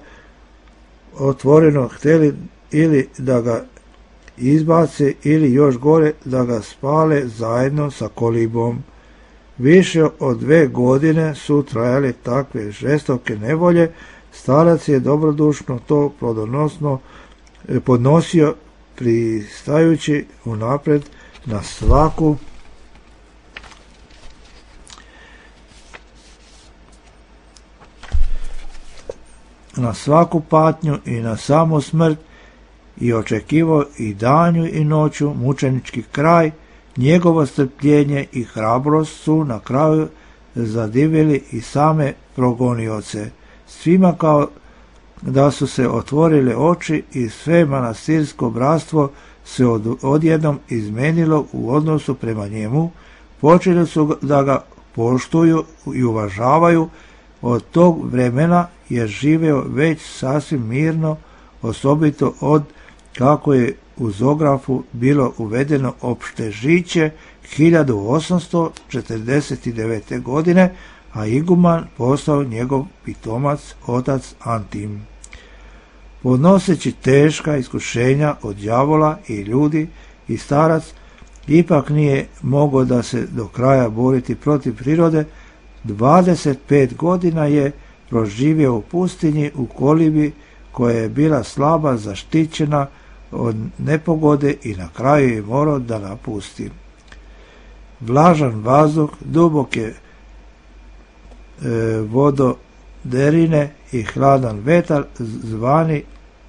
otvoreno htjeli ili da ga izbace ili još gore da ga spale zajedno sa kolibom. Više od 2 godine su trajale takve žestoke nevolje. Starac je dobrodušno to plodonosno podnosio, pristajući unapred na svaku patnju i na samu smrt, i očekivao i danju i noću mučenički kraj. Njegovo strpljenje i hrabrost su na kraju zadivili i same progonioce. Svima kao da su se otvorile oči i sve manastirsko bratstvo se odjednom izmenilo u odnosu prema njemu. Počeli su da ga poštuju i uvažavaju. Od tog vremena je živeo već sasvim mirno, osobito od kako je u Zografu bilo uvedeno opšte žiće 1849. godine, a iguman postao njegov pitomac otac Antim. Podnoseći teška iskušenja od đavola i ljudi, i starac ipak nije mogao da se do kraja boriti protiv prirode. 25 godina je proživio u pustinji u kolibi koja je bila slaba zaštićena od nepogode i na kraju je morao da napusti. Vlažan vazduh, duboke vododerine i hladan vetar zvani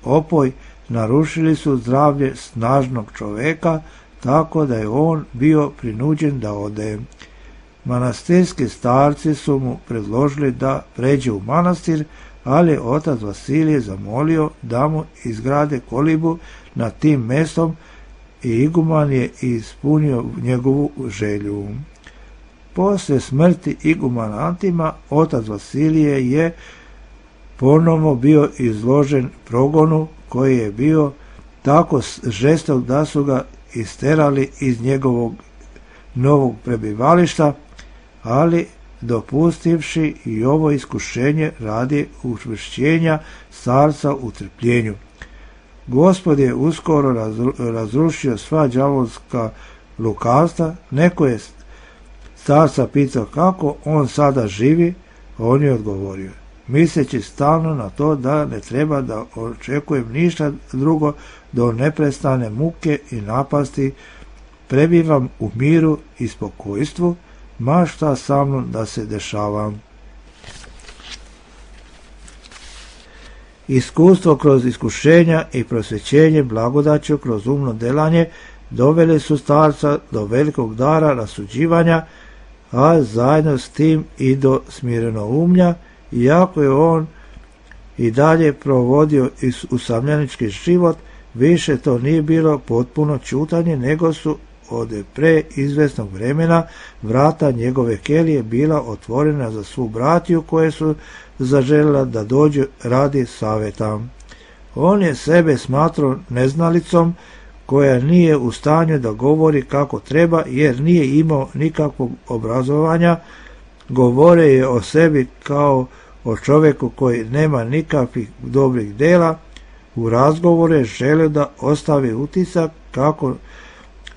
opoj narušili su zdravlje snažnog čoveka, tako da je on bio prinuđen da ode. Manastirski starci su mu predložili da pređe u manastir, ali otac Vasilije zamolio da mu izgrade kolibu nad tim mestom i iguman je ispunio njegovu želju. Poslije smrti igumana Antima, otac Vasilije je ponovno bio izložen progonu koji je bio tako žestok da su ga isterali iz njegovog novog prebivališta, ali dopustivši i ovo iskušenje radi učvršćenja starca u trpljenju. Gospod je uskoro razrušio sva đavolska lukavstva. Neko je starca pitao kako on sada živi, a on je odgovorio, misleći stalno na to da ne treba da očekujem ništa drugo do neprestane muke i napasti, prebivam u miru i spokojstvu, ma šta sa mnom da se dešava. Iskustvo kroz iskušenja i prosvećenje blagodaću kroz umno delanje doveli su starca do velikog dara rasuđivanja, a zajedno s tim i do smirenoumlja, iako je on i dalje provodio usamljenički život, više to nije bilo potpuno ćutanje, nego su od pre izvesnog vremena vrata njegove kelije bila otvorena za svu bratiju koje su zaželjela da dođu radi saveta. On je sebe smatrao neznalicom koja nije u stanju da govori kako treba, jer nije imao nikakvog obrazovanja, govore je o sebi kao o čovjeku koji nema nikakvih dobrih dela. U razgovoru je želio da ostavi utisak kako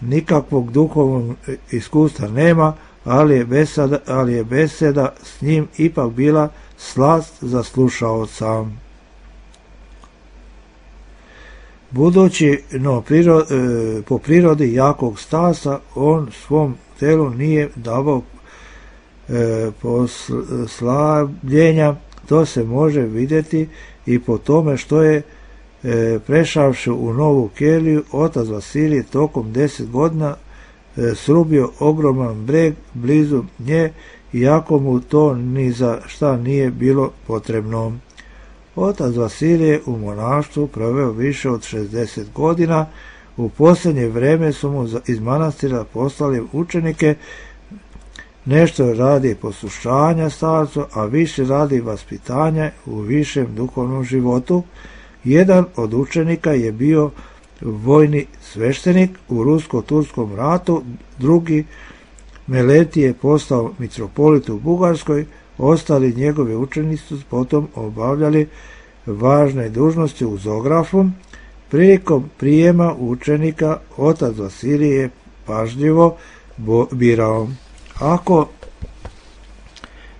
nikakvog duhovnog iskustva nema, ali je beseda s njim ipak bila slast za slušaoca. Budući po prirodi jakog Stasa, on svom telu nije davao poslabljenja. To se može vidjeti i po tome što je prešavši u Novu Keliju, otac Vasilije tokom 10 godina srubio ogroman breg blizu nje, iako mu to ni za šta nije bilo potrebno. Otac Vasilije u monaštvu proveo više od 60 godina. U posljednje vrijeme su mu iz manastira poslali učenike, nešto radi poslušanja starcu, a više radi vaspitanja u višem duhovnom životu. Jedan od učenika je bio vojni sveštenik u rusko-turskom ratu, drugi Meleti je postao mitropolit u Bugarskoj, ostali njegovi učenici su potom obavljali važne dužnosti u Zografu. Prilikom prijema učenika otac Vasilije je pažljivo birao. Ako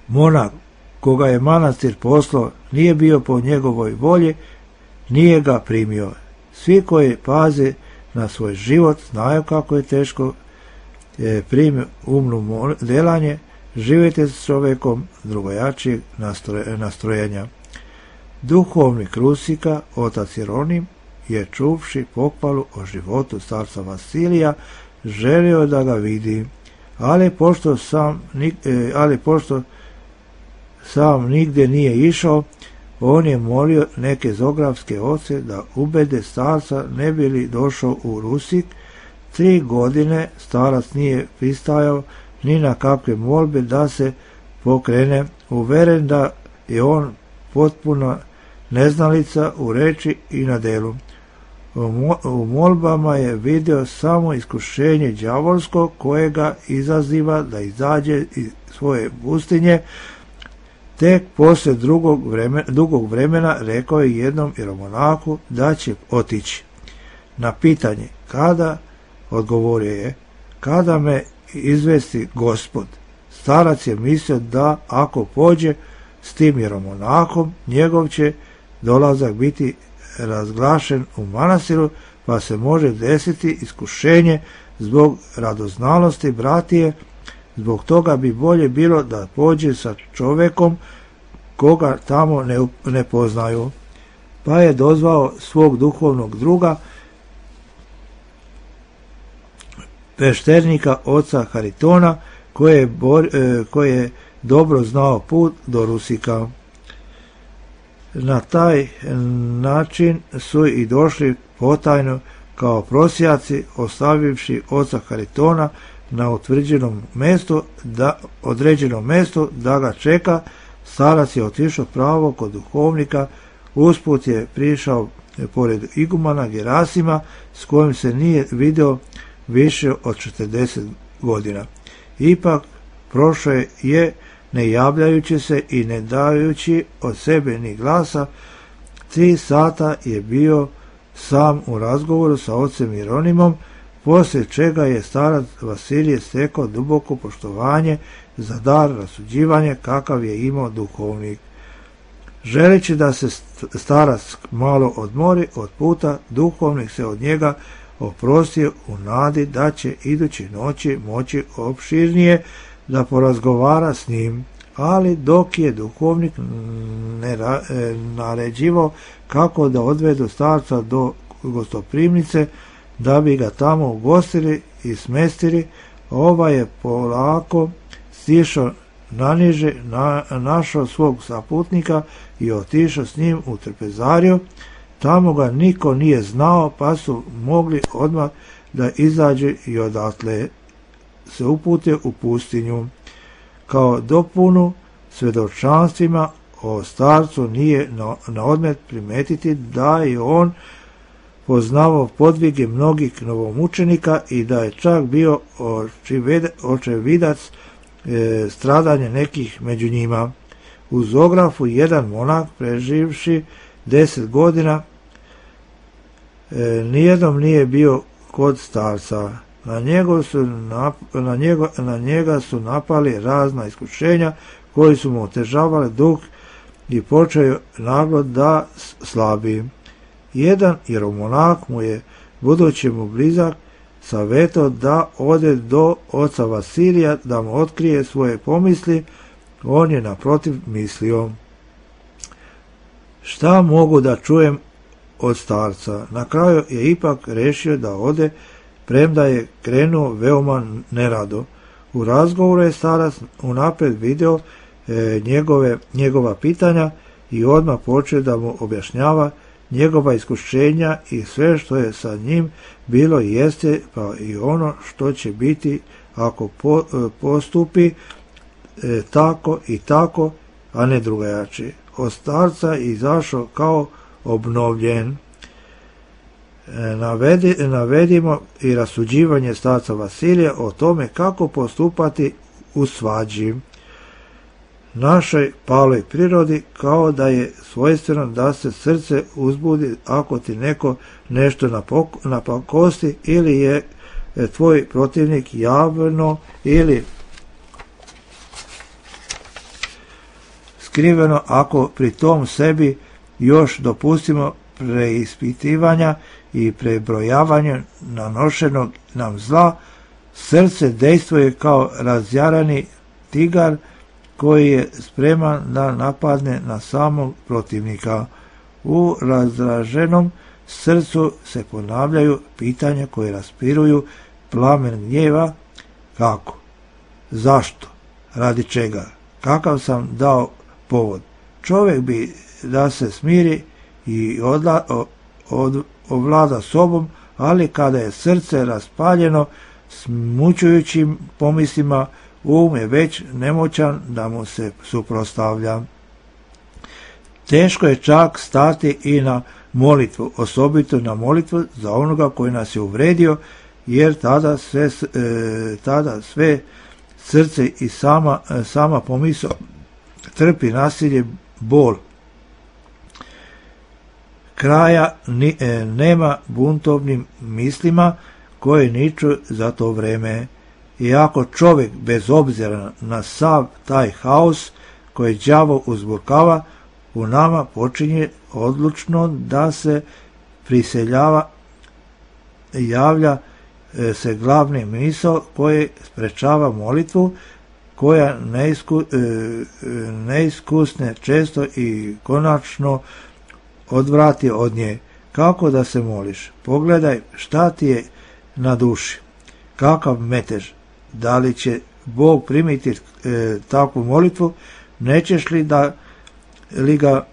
monah koga je manastir poslao nije bio po njegovoj volji, nije ga primio. Svi koji paze na svoj život znaju kako je teško primiti umno delanje, živjeti s čovjekom drugojačijeg nastrojenja. Duhovnik Rusika, otac Jeronim, je čuvši pohvalu o životu starca Vasilija, želio da ga vidi, ali pošto sam nigdje nije išao, on je molio neke zografske oce da ubede starca ne bi li došao u Rusik. 3 godine starac nije pristajao ni na kakve molbe da se pokrene, uveren da je on potpuna neznalica u reči i na delu. U molbama je vidio samo iskušenje đavolsko koje ga izaziva da izađe iz svoje pustinje. Tek poslije dugog vremena rekao je jednom jeromonahu da će otići. Na pitanje kada, odgovorio je: kada me izvesti Gospod. Starac je mislio da ako pođe s tim jeromonahom, njegov će dolazak biti razglašen u manastiru, pa se može desiti iskušenje zbog radoznalosti bratije. Zbog toga bi bolje bilo da pođe sa čovjekom koga tamo ne poznaju. Pa je dozvao svog duhovnog druga, pešternika oca Haritona, koji je dobro znao put do Rusika. Na taj način su i došli potajno kao prosjaci, ostavivši oca Haritona na određenom mjestu da ga čeka. Starac je otišao pravo kod duhovnika, usput je prišao pored igumana Gerasima, s kojim se nije vidio više od 40 godina. Ipak prošao je ne javljajući se i ne dajući od sebe ni glasa. 3 sata je bio sam u razgovoru sa ocem Jeronimom, poslije čega je starac Vasilije stekao duboko poštovanje za dar rasuđivanja kakav je imao duhovnik. Želeći da se starac malo odmori od puta, duhovnik se od njega oprostio u nadi da će iduće noći moći opširnije da porazgovara s njim, ali dok je duhovnik naređivao kako da odvedu starca do gostoprimnice da bi ga tamo ugostili i smestili, ovaj je polako stišao naniže, našao svog saputnika i otišao s njim u trpezariju. Tamo ga niko nije znao, pa su mogli odmah da izađe i odatle se upute u pustinju. Kao dopunu svjedočanstvima o starcu nije na odmet primetiti da je on poznavao podvige mnogih novomučenika i da je čak bio očevidac stradanje nekih među njima. U Zografu jedan monak preživši 10 godina nijednom nije bio kod starca. Na njega su napali razna iskušenja koji su mu otežavali duh i počeo naglo da slabi. Jedan jeromonak mu je, budući mu blizak, savjetao da ode do oca Vasilija da mu otkrije svoje pomisli. On je naprotiv mislio: šta mogu da čujem od starca? Na kraju je ipak rešio da ode, premda je krenuo veoma nerado. U razgovoru je starac unaprijed video njegova pitanja i odmah počeo da mu objašnjava njegova iskušenja i sve što je sa njim bilo i jeste, pa i ono što će biti ako postupi tako i tako, a ne drugačije. Od starca izašao kao obnovljen. Navedimo i rasuđivanje starca Vasilija o tome kako postupati u svađi. Našoj paloj prirodi kao da je svojstveno da se srce uzbudi ako ti neko nešto napakosti ili je tvoj protivnik javno ili skriveno, ako pri tom sebi još dopustimo preispitivanja i prebrojavanja nanošenog nam zla, srce dejstvuje kao razjarani tigar koji je spreman da napadne na samog protivnika. U razdraženom srcu se ponavljaju pitanja koje raspiruju plamen gnjeva: kako? Zašto? Radi čega? Kakav sam dao povod? Čovjek bi da se smiri i ovlada sobom, ali kada je srce raspaljeno smučujućim pomislima, um je već nemoćan da mu se suprotstavlja. Teško je čak stati i na molitvu, osobito na molitvu za onoga koji nas je uvredio, jer tada sve srce i sama pomisao trpi nasilje, bol. Kraja nema buntovnim mislima koje niču za to vreme. I ako čovjek, bez obzira na sav taj haos koji đavo uzburkava, u nama počinje odlučno da se priseljava, javlja se glavni misao koji sprečava molitvu, koja neiskusne često i konačno odvrati od nje. Kako da se moliš? Pogledaj šta ti je na duši. Kakav metež? Da li će Bog primiti takvu molitvu? Nećeš li ga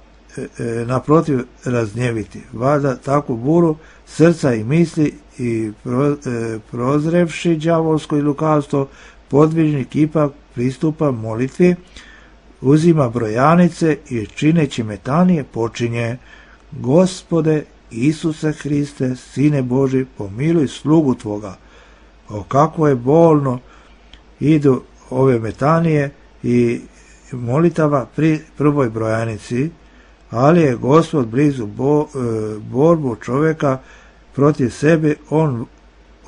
naprotiv razgnjeviti? Valjda takvu buru srca i misli i prozrevši đavolsko i lukavstvo, podvižnik ipak pristupa molitvi, uzima brojanice i čineći metanije počinje: Gospode Isuse Hriste, Sine Boži, pomiluj slugu Tvoga. O kako je bolno idu ove metanije i molitava pri prvoj brojanici, ali je Gospod blizu borbu čovjeka protiv sebe. On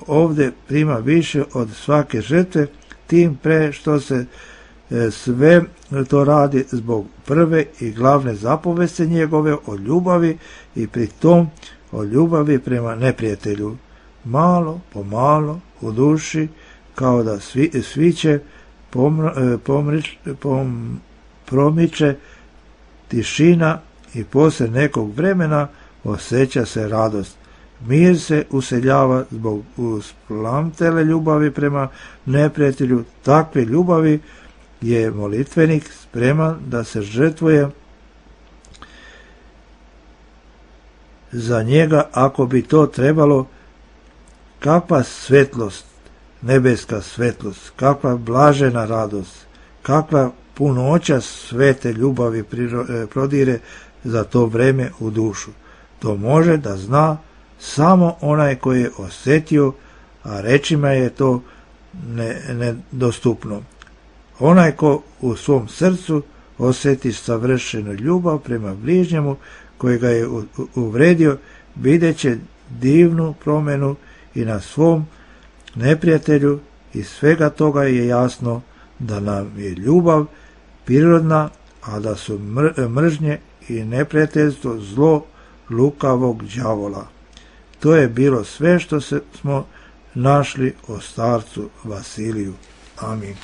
ovdje prima više od svake žrtve, tim pre što se sve to radi zbog prve i glavne zapovesti njegove od ljubavi i pri tom od ljubavi prema neprijatelju. Malo po malo u duši kao da sviće promiče tišina i poslije nekog vremena osjeća se radost. Mir se useljava zbog usplamtele ljubavi prema neprijatelju. Takve ljubavi je molitvenik spreman da se žrtvuje za njega ako bi to trebalo. Kakva svetlost, nebeska svetlost, kakva blažena radost, kakva punoća svete ljubavi prodire za to vreme u dušu. To može da zna samo onaj koji je osjetio, a rečima je to nedostupno. Onaj ko u svom srcu osjeti savršenu ljubav prema bližnjemu koji ga je uvredio, vidjet će divnu promjenu i na svom neprijatelju. Iz svega toga je jasno da nam je ljubav prirodna, a da su mržnje i neprijateljstvo zlo lukavog đavola. To je bilo sve što smo našli o starcu Vasiliju. Amin.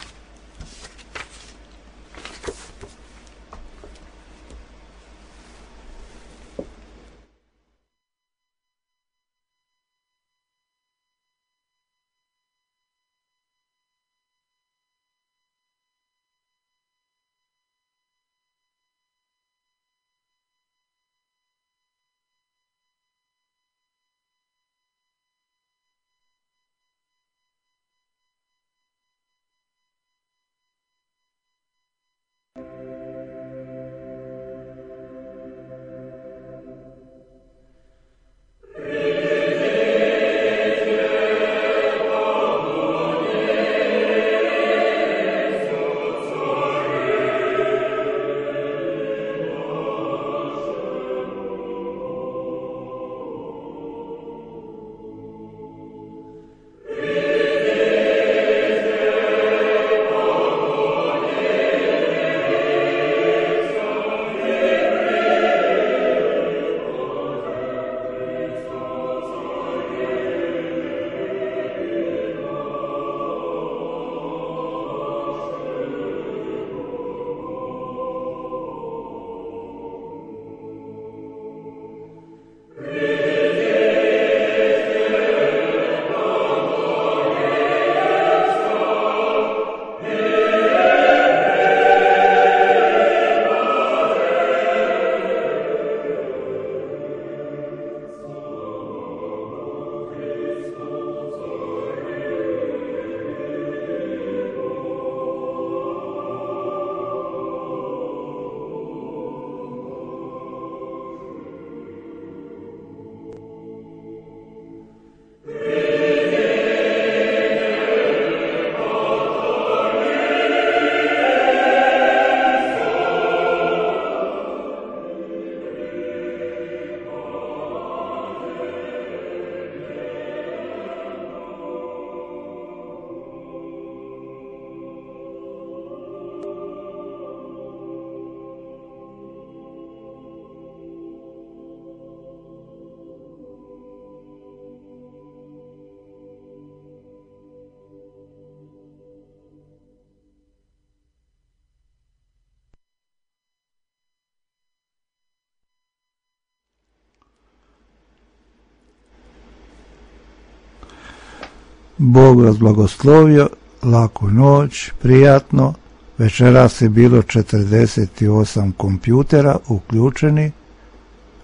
Bog vas blagoslovio, laku noć, prijatno. Večeras je bilo 48 kompjutera uključeni.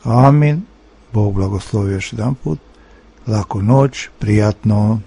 Amin. Bog blagoslovio još jedan put. Laku noć, prijatno.